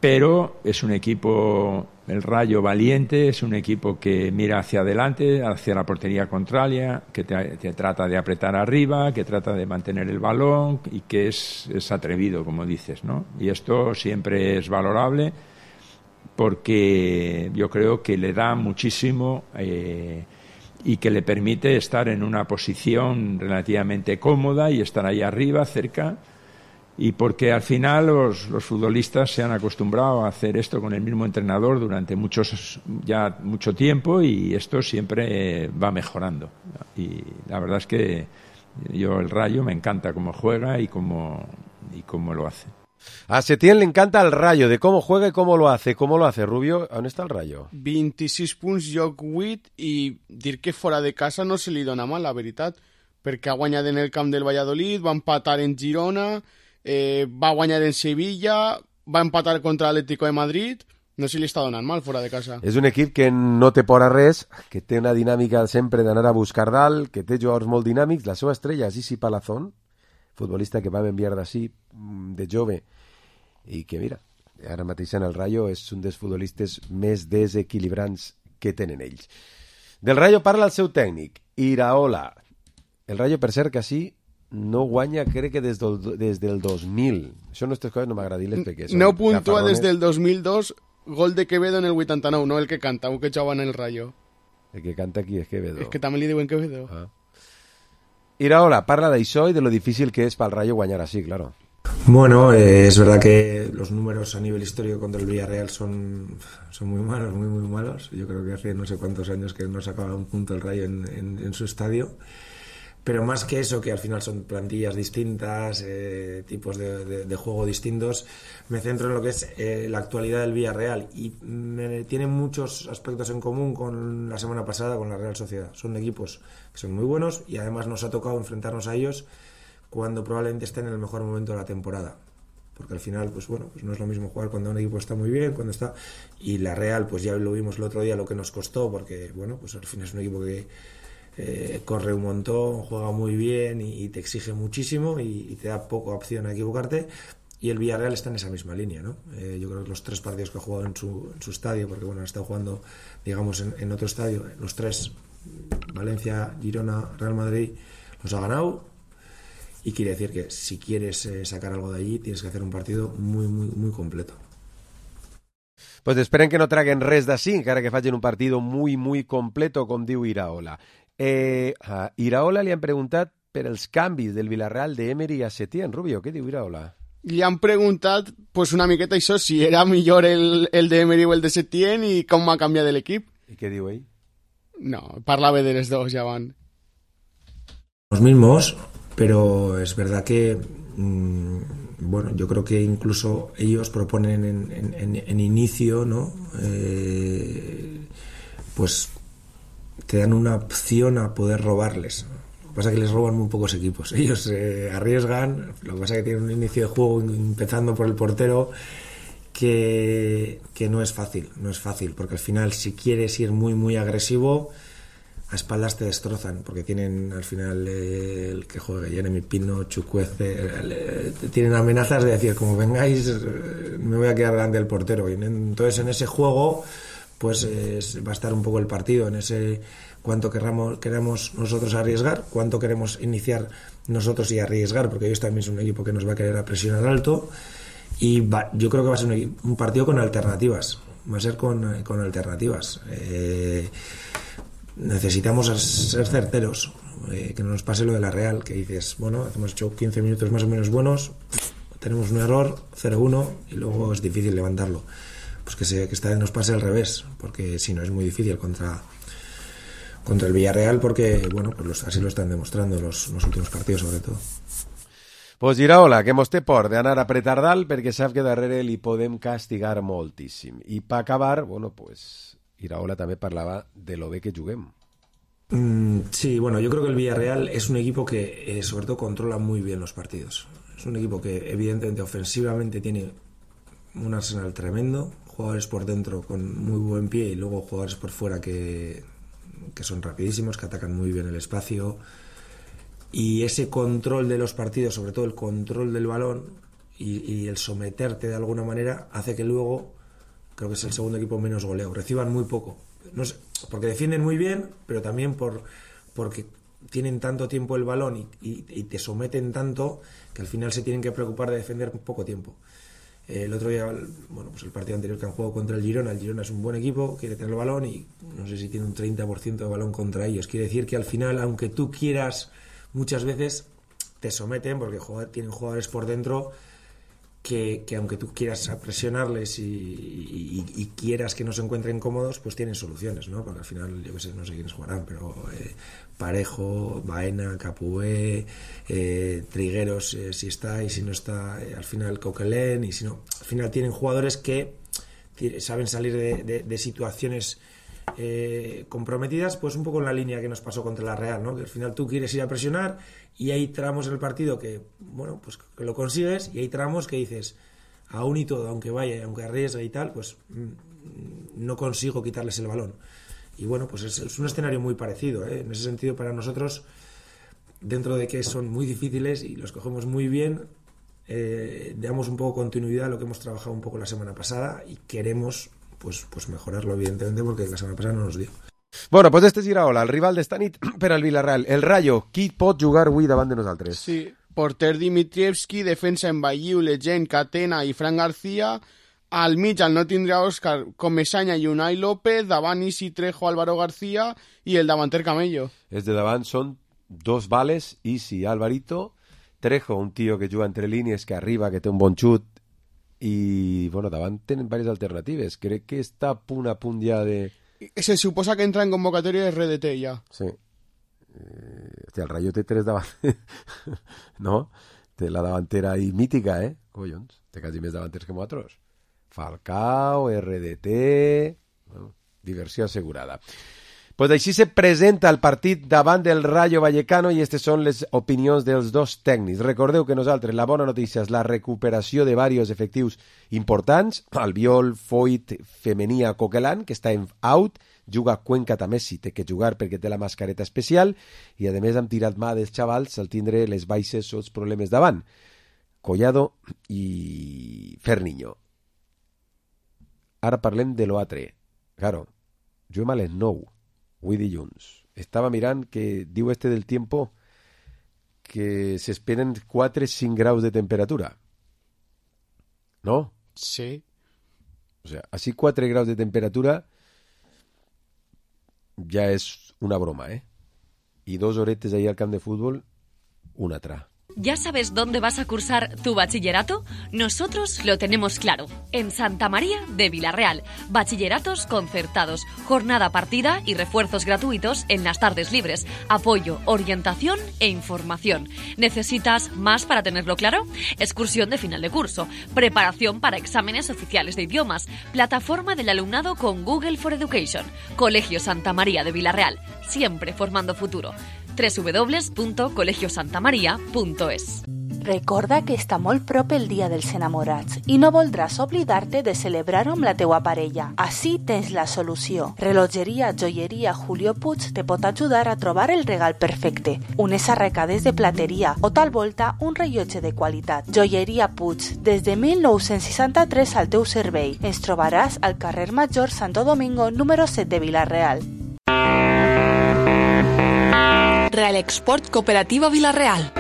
pero es un equipo, el Rayo, valiente, es un equipo que mira hacia adelante, hacia la portería contraria, que te trata de apretar arriba, que trata de mantener el balón y que es atrevido, como dices, ¿no? Y esto siempre es valorable porque yo creo que le da muchísimo y que le permite estar en una posición relativamente cómoda y estar ahí arriba, cerca. Y porque al final los futbolistas se han acostumbrado a hacer esto con el mismo entrenador durante mucho tiempo y esto siempre va mejorando. Y la verdad es que el Rayo me encanta cómo juega y cómo lo hace. A Setién le encanta el Rayo, de cómo juega y cómo lo hace. ¿Cómo lo hace, Rubio? ¿Dónde está el Rayo? 26 punts, joc 8, i dir que fora de casa no se li dona mal, la veritat, perquè ha guanyat en el camp del Valladolid, va empatar en Girona... va guanyar en Sevilla, va empatar contra l'Atlético de Madrid, no se li està donant mal fora de casa. És un equip que no té por a res, que té una dinàmica sempre d'anar a buscar dalt, que té jugadors molt dinàmics. La seva estrella és Isi Palazón, futbolista que vam enviar d'ací de jove i que, mira, ara mateix en el Rayo és un dels futbolistes més desequilibrants que tenen ells. Del Rayo parla el seu tècnic, Iraola. El Rayo, per cert, que sí, no guanya, crec que des del 2000. Això no aquestes coses no m'agradiles perquè... No puntua des del 2002, gol de Quevedo en el 89, no el que canta, un que jugava en el Rayo. El que canta aquí és Quevedo. És que també li diuen Quevedo. Ah. Iraola parla d'això y de lo difícil que es para el Rayo guanyar así, claro. Bueno, es verdad que los números a nivel histórico contra el Villarreal son muy malos, muy malos. Yo creo que hace no sé cuántos años que no sacaba un punto el Rayo en su estadio. Pero más que eso, que al final son plantillas distintas, tipos de juego distintos, me centro en lo que es la actualidad del Villarreal y tiene muchos aspectos en común con la semana pasada con la Real Sociedad. Son equipos que son muy buenos y además nos ha tocado enfrentarnos a ellos cuando probablemente estén en el mejor momento de la temporada. Porque al final, pues bueno, pues no es lo mismo jugar cuando un equipo está muy bien, cuando está... Y la Real, pues ya lo vimos el otro día lo que nos costó, porque bueno, pues al final es un equipo que corre un montón, juega muy bien y te exige muchísimo y te da poca opción a equivocarte. Y el Villarreal está en esa misma línea, ¿no? Yo creo que los 3 partidos que ha jugado en su estadio, porque bueno, ha estado jugando, digamos, en otro estadio, los 3, Valencia, Girona, Real Madrid, los ha ganado. Y quiere decir que si quieres sacar algo de allí, tienes que hacer un partido muy completo. Pues esperen que no traguen res d'ací, encara que facin un partido muy completo, com diu Iraola. A Iraola li han preguntat per els canvis del Villarreal d'Emery a Setién. Rubio, què diu Iraola? Li han preguntat pues una miqueta això, si era millor el d'Emery o el de Setién i com ha canviat l'equip. I què diu ell? No, parlava de les dos, ja van. Los mismos, pero es verdad que bueno, yo creo que incluso ellos proponen en inicio, ¿no? Pues te dan una opción a poder robarles. Lo que pasa es que les roban muy pocos equipos. Ellos arriesgan, lo que pasa es que tienen un inicio de juego empezando por el portero que no es fácil, porque al final si quieres ir muy muy agresivo, a espaldas te destrozan, porque tienen al final el que juega Jeremy Pino, Chukwueze, tienen amenazas de decir, como vengáis me voy a quedar delante del portero, y entonces en ese juego pues va a estar un poco el partido, en ese cuánto queramos nosotros arriesgar, cuánto queremos iniciar nosotros y arriesgar, porque ellos también son un equipo que nos va a querer presionar alto, y yo creo que va a ser un partido con alternativas, va a ser con alternativas. Necesitamos ser certeros, que no nos pase lo de la Real, que dices, bueno, hemos hecho 15 minutos más o menos buenos, tenemos un error, 0-1, y luego es difícil levantarlo. Pues que esta vez nos pase al revés, porque si no es muy difícil contra el Villarreal, porque bueno, pues así lo están demostrando los últimos partidos sobre todo. Pues Iraola, que mos té por d'anar a apretar dalt perquè sap que darrere li podem castigar moltíssim. I per acabar, bueno, pues Iraola també parlava de lo bé que juguem. Sí, bueno, yo creo que el Villarreal es un equipo que sobre todo controla muy bien los partidos. Es un equipo que evidentemente ofensivamente tiene un arsenal tremendo, jugadores por dentro con muy buen pie y luego jugadores por fuera que son rapidísimos, que atacan muy bien el espacio, y ese control de los partidos, sobre todo el control del balón y el someterte de alguna manera, hace que luego, creo que es el segundo equipo menos goleo, reciban muy poco, no sé, porque defienden muy bien, pero también porque tienen tanto tiempo el balón y te someten tanto que al final se tienen que preocupar de defender poco tiempo. El otro día, bueno, pues el partido anterior que han jugado contra el Girona es un buen equipo, quiere tener el balón y no sé si tiene un 30% de balón contra ellos. Quiere decir que al final, aunque tú quieras, muchas veces te someten porque tienen jugadores por dentro que aunque tú quieras presionarles y quieras que no se encuentren cómodos, pues tienen soluciones, ¿no? Porque al final, yo qué sé, no sé quiénes jugarán, pero Parejo, Baena, Capué, Trigueros, si está y si no está, al final Coquelin, y si no, al final tienen jugadores que saben salir de situaciones comprometidas, pues un poco en la línea que nos pasó contra la Real, ¿no? Que al final tú quieres ir a presionar y hay tramos en el partido que, bueno, pues que lo consigues, y hay tramos que dices, aún y todo, aunque vaya y aunque arriesgue y tal, pues no consigo quitarles el balón. Y bueno, pues es un escenario muy parecido, ¿eh? En ese sentido, para nosotros, dentro de que son muy difíciles y los cogemos muy bien, damos un poco continuidad a lo que hemos trabajado un poco la semana pasada y queremos pues mejorarlo, evidentemente, porque la semana pasada no nos dio. Bueno, pues este és Iraola, el rival d'esta nit per al Villarreal. El Rayo, qui pot jugar avui davant de nosaltres? Sí, porter Dimitrievski, defensa en Bailliu, Legend, Catena i Fran García. Al mig el no tindrà Òscar Comesaña i Unai López, davant Isi Trejo, Álvaro García i el davanter Camello. Els de davant són dos vales, Isi i Alvarito. Trejo, un tio que juga entre línies, que arriba, que té un bon xut, i bueno, davant tenen diverses alternatives. Crec que està a punt ja de... Se suposa que entra en convocatòria de RDT ja. Sí. Hòstia, el Rayo té tres davant... no? Té la davantera ahí mítica, collons. Té quasi més davanters que nosaltres. Falcao, RDT... Bueno, diversió assegurada. Pues així se presenta el partit davant del Rayo Vallecano, i aquestes són les opinions dels dos tècnics. Recordeu que nosaltres, la bona notícia és la recuperació de diversos efectius importants. Albiol, Foyt, Femenia, Coquelin, que està en out, juga Cuenca també si té que jugar perquè té la mascareta especial, i a més hem tirat mà dels xavals al tindre les baixes o els problemes davant. Collado i Ferniño. Ara parlem de l'Oatre. Claro, juguem a les 9. Avui dilluns. Estava mirant que diu del tiempo que se esperen 4-5 graus de temperatura. ¿No? Sí. O sea, así 4 graus de temperatura ya es una broma, ¿eh? Y 2 horetes ahí al camp de fútbol, una altra. ¿Ya sabes dónde vas a cursar tu bachillerato? Nosotros lo tenemos claro. En Santa María de Vilarreal. Bachilleratos concertados, jornada partida y refuerzos gratuitos en las tardes libres. Apoyo, orientación e información. ¿Necesitas más para tenerlo claro? Excursión de final de curso. Preparación para exámenes oficiales de idiomas. Plataforma del alumnado con Google for Education. Colegio Santa María de Vilarreal. Siempre formando futuro. www.colegiosantamaria.es. Recorda que està molt prop el Dia dels Enamorats i no voldràs oblidar-te de celebrar-ho amb la teua parella. Així tens la solució. Relojeria Joieria Julio Puig te pot ajudar a trobar el regal perfecte. Unes arracades de plateria o tal volta un rellotge de qualitat. Joieria Puig, des de 1963 al teu servei. Ens trobaràs al carrer Major Santo Domingo número 7 de Vilarreal. Real Export Cooperativa Vilarreal.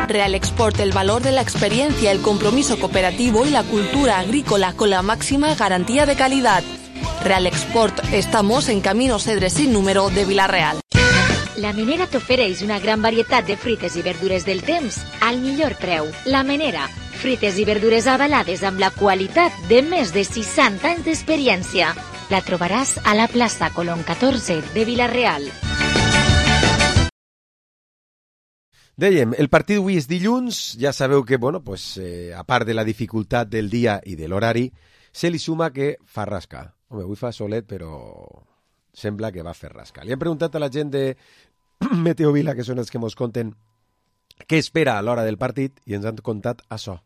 Real Export, el valor de la experiencia, el compromiso cooperativo y la cultura agrícola con la máxima garantía de calidad. Real Export, estamos en Camino Cedre sin número de Vilarreal. La Menera t'ofereix una gran varietat de fruites i verdures del temps al millor preu. La Menera, fruites i verdures avalades amb la qualitat de més de 60 anys d'experiència. La trobaràs a la plaça Colón 14 de Vilarreal. Dèiem, el partit avui és dilluns, ja sabeu que, bueno, pues, a part de la dificultat del dia i de l'horari, se li suma que fa rascar. Home, avui fa solet, però sembla que va fer rascar. Li hem preguntat a la gent de Meteo Vila, que són els que ens conten què espera a l'hora del partit, i ens han contat això.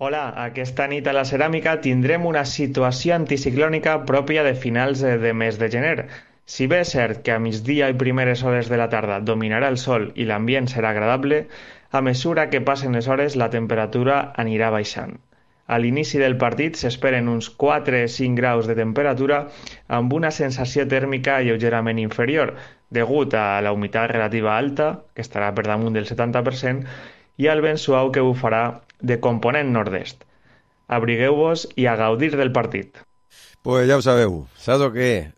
Hola, aquesta nit a la Ceràmica tindrem una situació anticiclònica pròpia de finals de mes de gener. Si bé és cert que a migdia i primeres hores de la tarda dominarà el sol i l'ambient serà agradable, a mesura que passen les hores la temperatura anirà baixant. A l'inici del partit s'esperen uns 4-5 graus de temperatura amb una sensació tèrmica lleugerament inferior, degut a la humitat relativa alta, que estarà per damunt del 70%, i al vent suau que bufarà de component nord-est. Abrigueu-vos i a gaudir del partit. Pues ja ho sabeu, saps o què?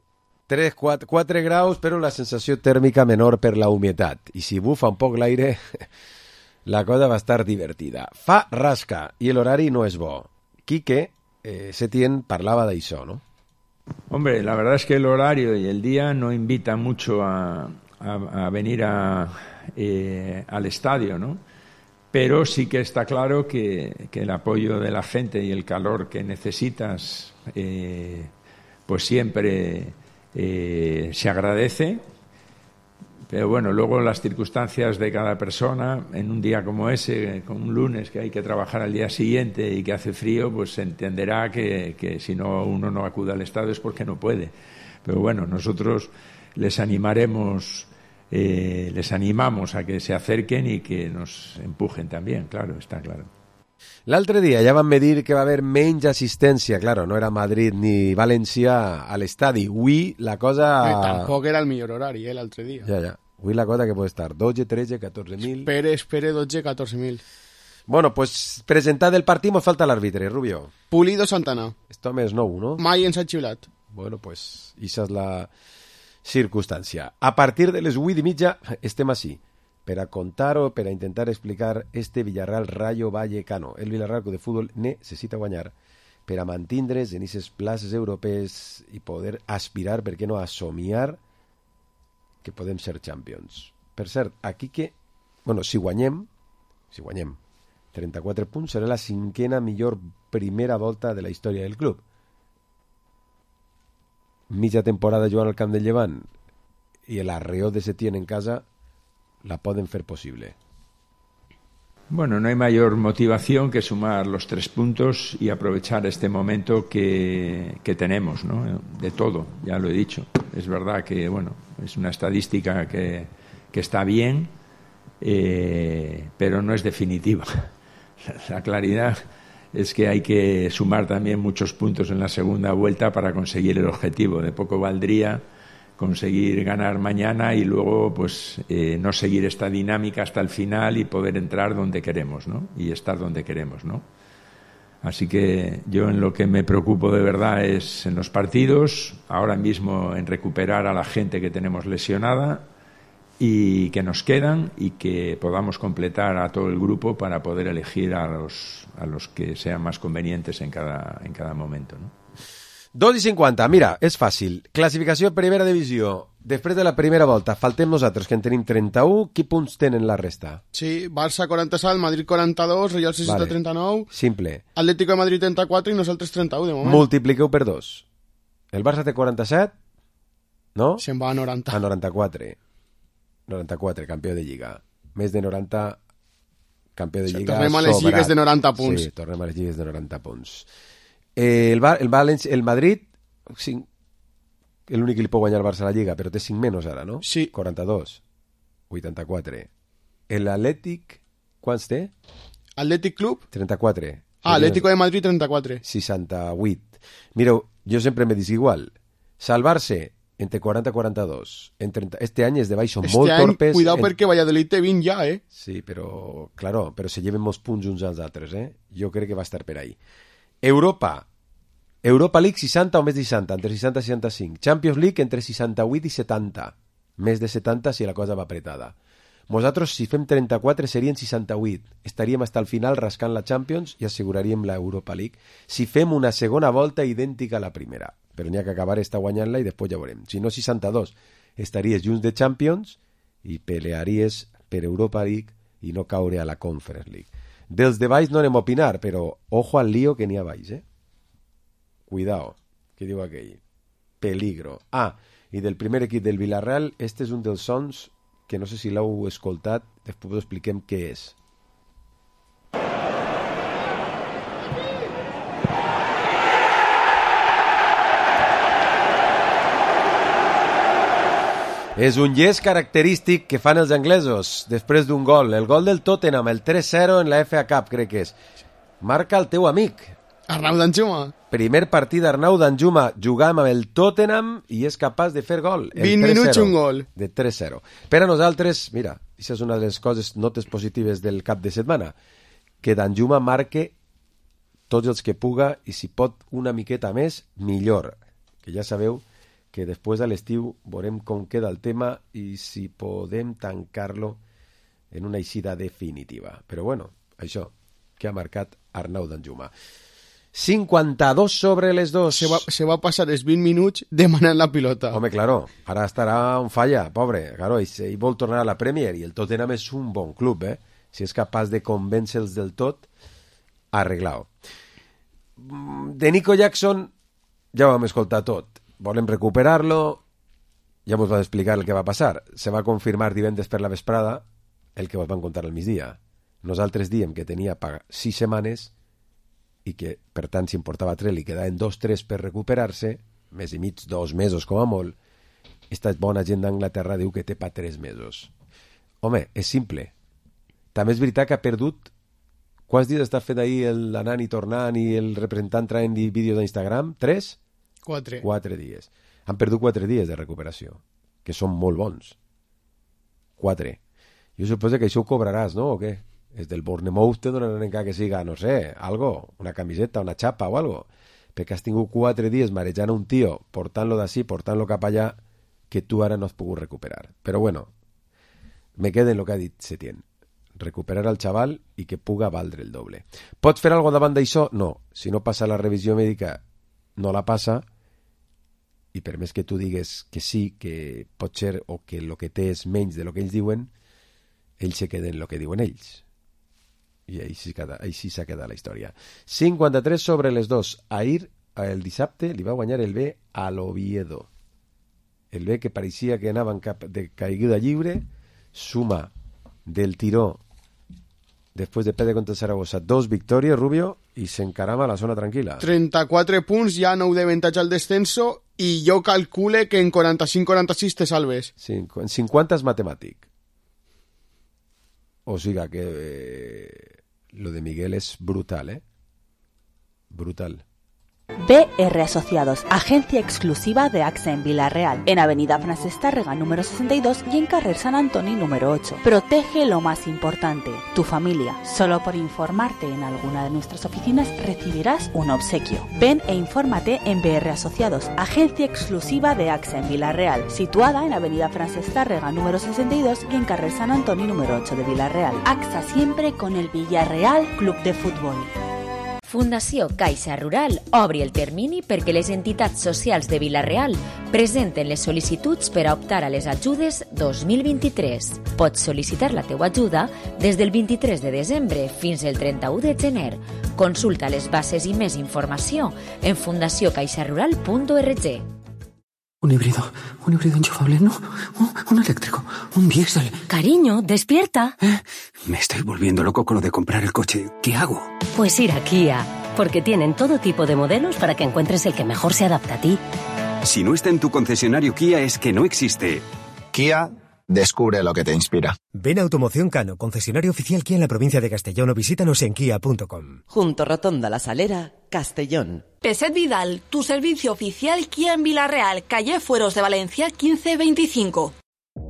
4 graus, però la sensació tèrmica menor per la humitat. I si bufa un poc l'aire, la cosa va estar divertida. Fa rasca i l'horari no és bo. Quique Setién parlava d'això, ¿no? Hombre, la verdad es que el horario y el día no invita mucho a venir al estadio, ¿no? Pero sí que está claro que el apoyo de la gente y el calor que necesitas, pues siempre se agradece. Pero bueno, luego las circunstancias de cada persona, en un día como ese, con un lunes que hay que trabajar al día siguiente y que hace frío, pues se entenderá que si no uno no acude al estadio es porque no puede. Pero bueno, nosotros les animamos a que se acerquen y que nos empujen también, claro, está claro. L'altre dia ja van medir que va haver menys assistència, claro, no era Madrid ni València a l'estadi. Avui la cosa... Tampoc era el millor horari, l'altre dia. Ja. Avui la cosa que pot estar 12, 13, 14.000... Espere 12, 14.000. Bueno, pues presentat el partit mos falta l'àrbitre, Rubio. Pulido Santana. Esto més nou, no? Mai ens ha xiulat. Bueno, pues esa és la circumstància. A partir de les 8:30 estem així, per a contar o per a intentar explicar este Villarreal Rayo Vallecano. El Villarreal de futbol necessita guanyar per a mantindre's en aquestes places europees i poder aspirar, per què no, a somiar que podem ser champions. Per cert, aquí que, bueno, si guanyem 34 punts, serà la 5ª millor primera volta de la història del club. Mitja temporada jugant al camp del Llevant i l'arreó de Setién en casa la pueden hacer posible. Bueno, no hay mayor motivación que sumar los 3 puntos y aprovechar este momento que tenemos, ¿no? De todo, ya lo he dicho. Es verdad que, bueno, es una estadística que está bien, pero no es definitiva. La claridad es que hay que sumar también muchos puntos en la segunda vuelta para conseguir el objetivo. De poco valdría conseguir ganar mañana y luego pues no seguir esta dinámica hasta el final y poder entrar donde queremos, ¿no? Y estar donde queremos, ¿no? Así que yo en lo que me preocupo de verdad es en los partidos, ahora mismo en recuperar a la gente que tenemos lesionada y que nos quedan y que podamos completar a todo el grupo para poder elegir a los que sean más convenientes en cada momento, ¿no? 2:50, mira, és fàcil. Classificació primera divisió. Després de la primera volta, faltem nosaltres, que en tenim 31. Quins punts tenen la resta? Sí, Barça 47, Madrid 42, Real Societat Vale. 39, Simple. Atlético de Madrid 34 i nosaltres 31 de moment. Multipliqueu per 2. El Barça té 47, no? Se'n va a 90. A 94. 94, campió de Lliga. Més de 90, campió de Lliga. Tornem a les sobrat. lligues de 90 punts. Sí, tornem a les lligues de 90 punts. El Madrid, l'únic que li pot guanyar el Barça a la Lliga, però té 5 menys ara, no? Sí. 42, 84. L'Atlètic, quants té? Atlètic Club? 34. Atlético de Madrid 34. 68. Mireu, jo sempre me dic igual. Salvar-se entre 40 i 42. Este any és de baixo molt torpes. Cuidado perquè Valladolid té 20 ja, eh? Sí, però, claro, però se lleven molts punts uns als altres, eh? Jo crec que va estar per ahí. Europa League 60 o més de 60, entre 60 i 65. Champions League entre 68 i 70. Més de 70 si la cosa va apretada. Nosaltres, si fem 34, serien 68. Estaríem fins al final rascant la Champions i asseguraríem la Europa League. Si fem una segona volta idèntica a la primera. Però n'hi ha que acabar esta guanyant-la i després ja veurem. Si no, 62. Estaries junts de Champions i pelearies per Europa League i no caure a la Conference League. Dels de baix no anem a opinar, però ojo al lío que n'hi ha baix, eh? Cuidao, que diu aquell. Peligro. I del primer equip del Villarreal, este és un dels sons que no sé si l'heu escoltat, després us expliquem què és. És un yes característic que fan els anglesos després d'un gol. El gol del Tottenham, el 3-0 en la FA Cup, crec que és. Marca el teu amic. Arnau Danjuma. Primer partit d'Arnau Danjuma jugant amb el Tottenham i és capaç de fer gol. 20 minuts un gol. De 3-0. Per a nosaltres, mira, això és una de les coses, notes positives del cap de setmana, que Danjuma marque tots els que puga i si pot una miqueta més, millor. Que ja sabeu que després de l'estiu veurem com queda el tema i si podem tancar-lo en una eixida definitiva. Però bueno, això que ha marcat Arnau Danjuma. 52 sobre les 2. Se va passar els 20 minuts demanant la pilota. Home, claro, ara estarà on falla, pobre. Claro, ell vol tornar a la Premier i el Tottenham és un bon club, eh? Si és capaç de convèncer-los del tot, arreglau. De Nico Jackson ja ho vam escoltar tot. Volem recuperar-lo, ja vos va explicar el que va passar. Se va confirmar divendres per la vesprada el que vos van contar al migdia. Nosaltres diem que tenia 6 setmanes i que, per tant, si en portava 3 li quedaven 2-3 per recuperar-se, mes i mig, 2 mesos com a molt. Esta bona gent d'Anglaterra diu que té pa 3 mesos. Home, és simple. També és veritat que ha perdut... Quants dies està fent ahir l'anant i tornant i el representant traient vídeos d'Instagram? 3? 4. 4 dies. Han perdut 4 dies de recuperació, que són molt bons. 4. Jo suposo que això ho cobraràs, no? O què? És del Bournemouth te donaran encara que siga, no sé, algo, una camiseta, una xapa o algo. Perquè has tingut 4 dies marejant a un tio, portant-lo d'ací, portant-lo cap allà, que tu ara no has pogut recuperar. Però bueno, me queda en lo que ha dit Setién. Recuperar al xaval i que puga valdre el doble. Pots fer alguna cosa davant d'això? No. Si no passa la revisió mèdica, no la passa, i per més que tu digues que sí, que pot ser, o que el que té és menys de lo que ells diuen, ells se queden el que diuen ells. I així s'ha quedat la història. 53 sobre les 2. Ahir, el dissabte, li va guanyar el B a l'Oviedo. El B que pareixia que anaven cap de caiguda lliure, suma del tiró després de perdre contra el Saragossa 2 victòries, Rubio, i s'encarama a la zona tranquil·la. 34 punts, ja 9 d'avantatge al descenso, i jo calcule que en 45-46 te salves. Sí, en 50 és matemàtic. O sigui que lo de Miguel és brutal, eh? Brutal. BR Asociados, agencia exclusiva de AXA en Vila-real, en Avenida Francesc Tàrrega número 62 y en Carrer Sant Antoni número 8. Protege lo más importante, tu familia. Solo por informarte en alguna de nuestras oficinas recibirás un obsequio. Ven e infórmate en BR Asociados, agencia exclusiva de AXA en Vila-real, situada en Avenida Francesc Tàrrega número 62 y en Carrer Sant Antoni número 8 de Vila-real. AXA siempre con el Villarreal Club de Fútbol. Fundació Caixa Rural obri el termini perquè les entitats socials de Vila-real presenten les sol·licituds per a optar a les ajudes 2023. Pots sol·licitar la teua ajuda des del 23 de desembre fins al 31 de gener. Consulta les bases i més informació en fundaciocaixarural.org. Un híbrido enchufable, ¿no? Un eléctrico, un diésel. Cariño, despierta. Me estoy volviendo loco con lo de comprar el coche. ¿Qué hago? Pues ir a Kia, porque tienen todo tipo de modelos para que encuentres el que mejor se adapta a ti. Si no está en tu concesionario Kia es que no existe. Kia, descubre lo que te inspira. Ven a Automoción Cano, concesionario oficial Kia en la provincia de Castellón, o visítanos en kia.com. Junto Rotonda La Salera, Castellón. Peset Vidal, tu servicio oficial Kia en Vila-real, calle Fueros de Valencia 1525.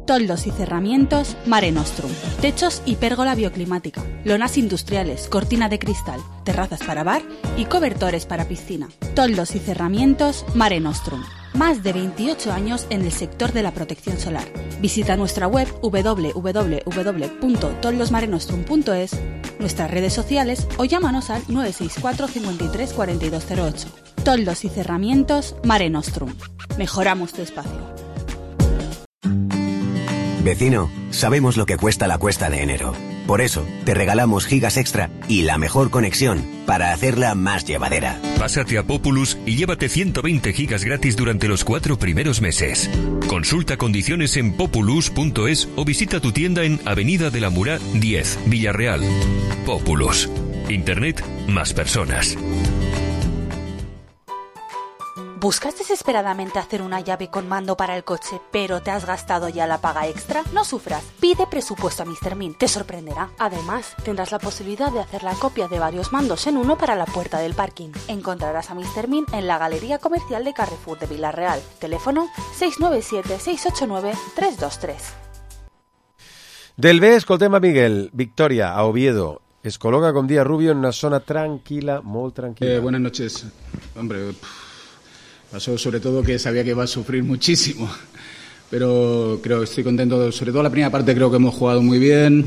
Toldos y cerramientos Mare Nostrum. Techos y pérgola bioclimática. Lonas industriales, cortina de cristal, terrazas para bar y cobertores para piscina. Toldos y cerramientos Mare Nostrum. Más de 28 años en el sector de la protección solar. Visita nuestra web www.toldosmarenostrum.es, nuestras redes sociales o llámanos al 964 53 4208. Toldos y cerramientos Mare Nostrum. Mejoramos tu espacio. Vecino, sabemos lo que cuesta la cuesta de enero. Por eso, te regalamos gigas extra y la mejor conexión para hacerla más llevadera. Pásate a Populus y llévate 120 gigas gratis durante los 4 primeros meses. Consulta condiciones en populus.es o visita tu tienda en Avenida de la Murá 10, Villarreal. Populus. Internet más personas. ¿Buscas desesperadamente hacer una llave con mando para el coche, pero te has gastado ya la paga extra? No sufras, pide presupuesto a Mr. Min, te sorprenderá. Además, tendrás la posibilidad de hacer la copia de varios mandos en uno para la puerta del parking. Encontrarás a Mr. Min en la Galería Comercial de Carrefour de Vila-real. Teléfono 697-689-323. Del B, escoltem a Miguel. Victoria, a Oviedo. Es coloca con Díaz Rubio en una zona tranquila, muy tranquila. Buenas noches. Hombre, pasó sobre todo que sabía que iba a sufrir muchísimo, pero creo que estoy contento. Sobre todo la primera parte creo que hemos jugado muy bien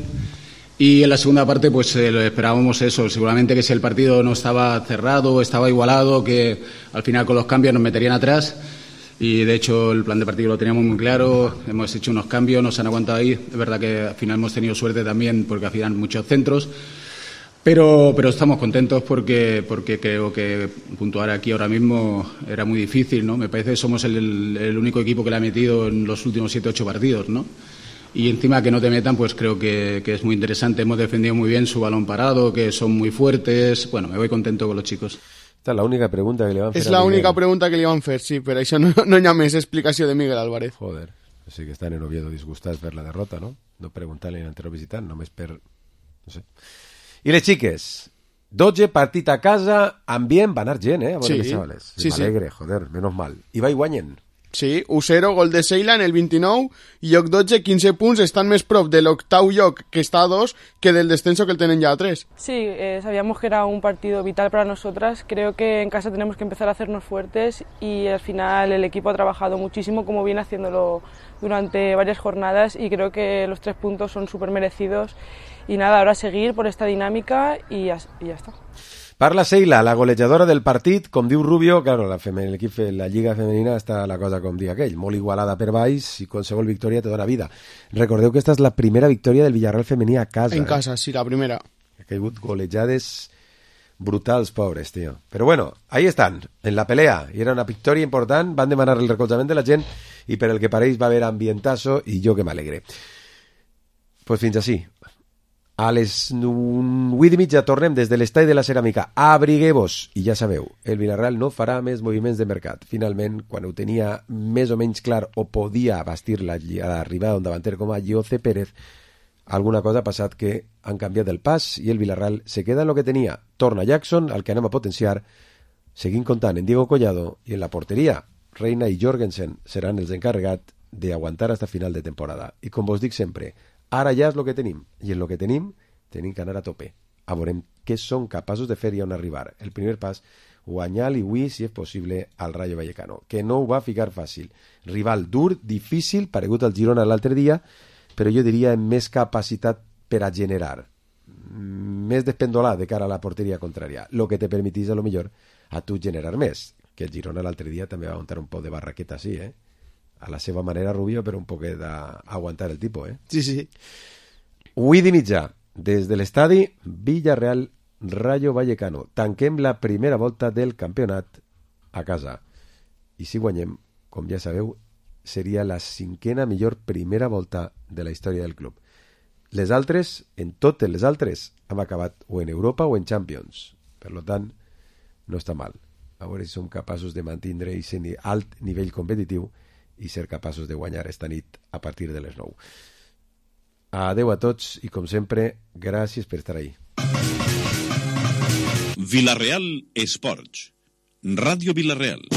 y en la segunda parte pues lo esperábamos eso. Seguramente que si el partido no estaba cerrado, estaba igualado, que al final con los cambios nos meterían atrás y de hecho el plan de partido lo teníamos muy claro. Hemos hecho unos cambios, nos han aguantado ahí. Es verdad que al final hemos tenido suerte también porque al final muchos centros. Pero estamos contentos porque creo que puntuar aquí ahora mismo era muy difícil, ¿no? Me parece que somos el único equipo que le ha metido en los últimos 7-8 partidos, ¿no? Y encima que no te metan, pues creo que es muy interesante. Hemos defendido muy bien su balón parado, que son muy fuertes. Bueno, me voy contento con los chicos. Esta es la única pregunta que le van a hacer. Es la única pregunta que le van a hacer, sí, pero eso no llames explicación de Miguel Álvarez. Joder, sí que están en Oviedo disgustats per la derrota, no? No preguntar-li a l'entrenador visitant, només per... no sé... I les xiques, 12 partit a casa, ambient, va anar gent, a veure les xavales. Sí, m'alegre, joder, menos mal. I va i guanyen. Sí, 1-0, gol de Seila en el 29, i lloc 12, 15 punts, estan més prop de l'octau lloc, que està a 2, que del descenso que el tenen ya a 3. Sí, sabíamos que era un partido vital para nosotras. Creo que en casa tenemos que empezar a hacernos fuertes y al final el equipo ha trabajado muchísimo, como viene haciéndolo durante varias jornadas, y creo que los 3 puntos son súper merecidos. Y nada, ahora seguir por esta dinámica y ya está. Parla Seila, la golejadora del partit, com diu Rubio, claro, l'equip, la lliga femenina està la cosa com dia aquell, molt igualada per baix i qualsevol victòria te dona vida. Recordeu que esta és la primera victòria del Villarreal femení a casa. En casa, sí, la primera. Ha caigut golejades brutals, pobres, tío. Pero bueno, ahí están, en la pelea, i era una victòria important, van demanar el recolzament de la gent i per el que pareix va haver ambientazo i jo que m'alegre. Pues fins així. A les 8:30 tornem des de l'estadi de la Ceràmica. Abrigueu-vos. I ja sabeu, el Villarreal no farà més moviments de mercat. Finalment, quan ho tenia més o menys clar o podia bastir l'arribada d'un davanter com a Jose Pérez, alguna cosa ha passat que han canviat el pas i el Villarreal se queda en lo que tenia. Torna Jackson, al que anem a potenciar, Seguim comptant en Diego Collado i en la porteria. Reina i Jorgensen seran els encarregats d'aguantar hasta final de temporada. I com vos dic sempre, ara ja és el que tenim, i en el que tenim que anar a tope. A veurem què són capaços de fer i on arribar. El primer pas, guanyar l'Iwi, si és possible, al Rayo Vallecano, que no ho va ficar fàcil. Rival dur, difícil, paregut al Girona l'altre dia, però jo diria amb més capacitat per a generar, més despendolar de cara a la porteria contrària, el que te permetís a lo millor a tu generar més, que el Girona l'altre dia també va aguantar un poc de barraqueta així, a la seva manera, Rubio, però un poc d'aguantar el tipus, Sí, sí. 8:30, des de l'estadi Villarreal Rayo Vallecano. Tanquem la primera volta del campionat a casa. I si guanyem, com ja sabeu, seria la 5ª millor primera volta de la història del club. Les altres, en totes les altres, hem acabat o en Europa o en Champions. Per tant, no està mal. A veure si som capaços de mantenir aquest alt nivell competitiu i ser capaços de guanyar esta nit a partir de les 9. Adeu a tots i, com sempre, gràcies per estar ahí. Vilareal Esports. Ràdio Vilareal.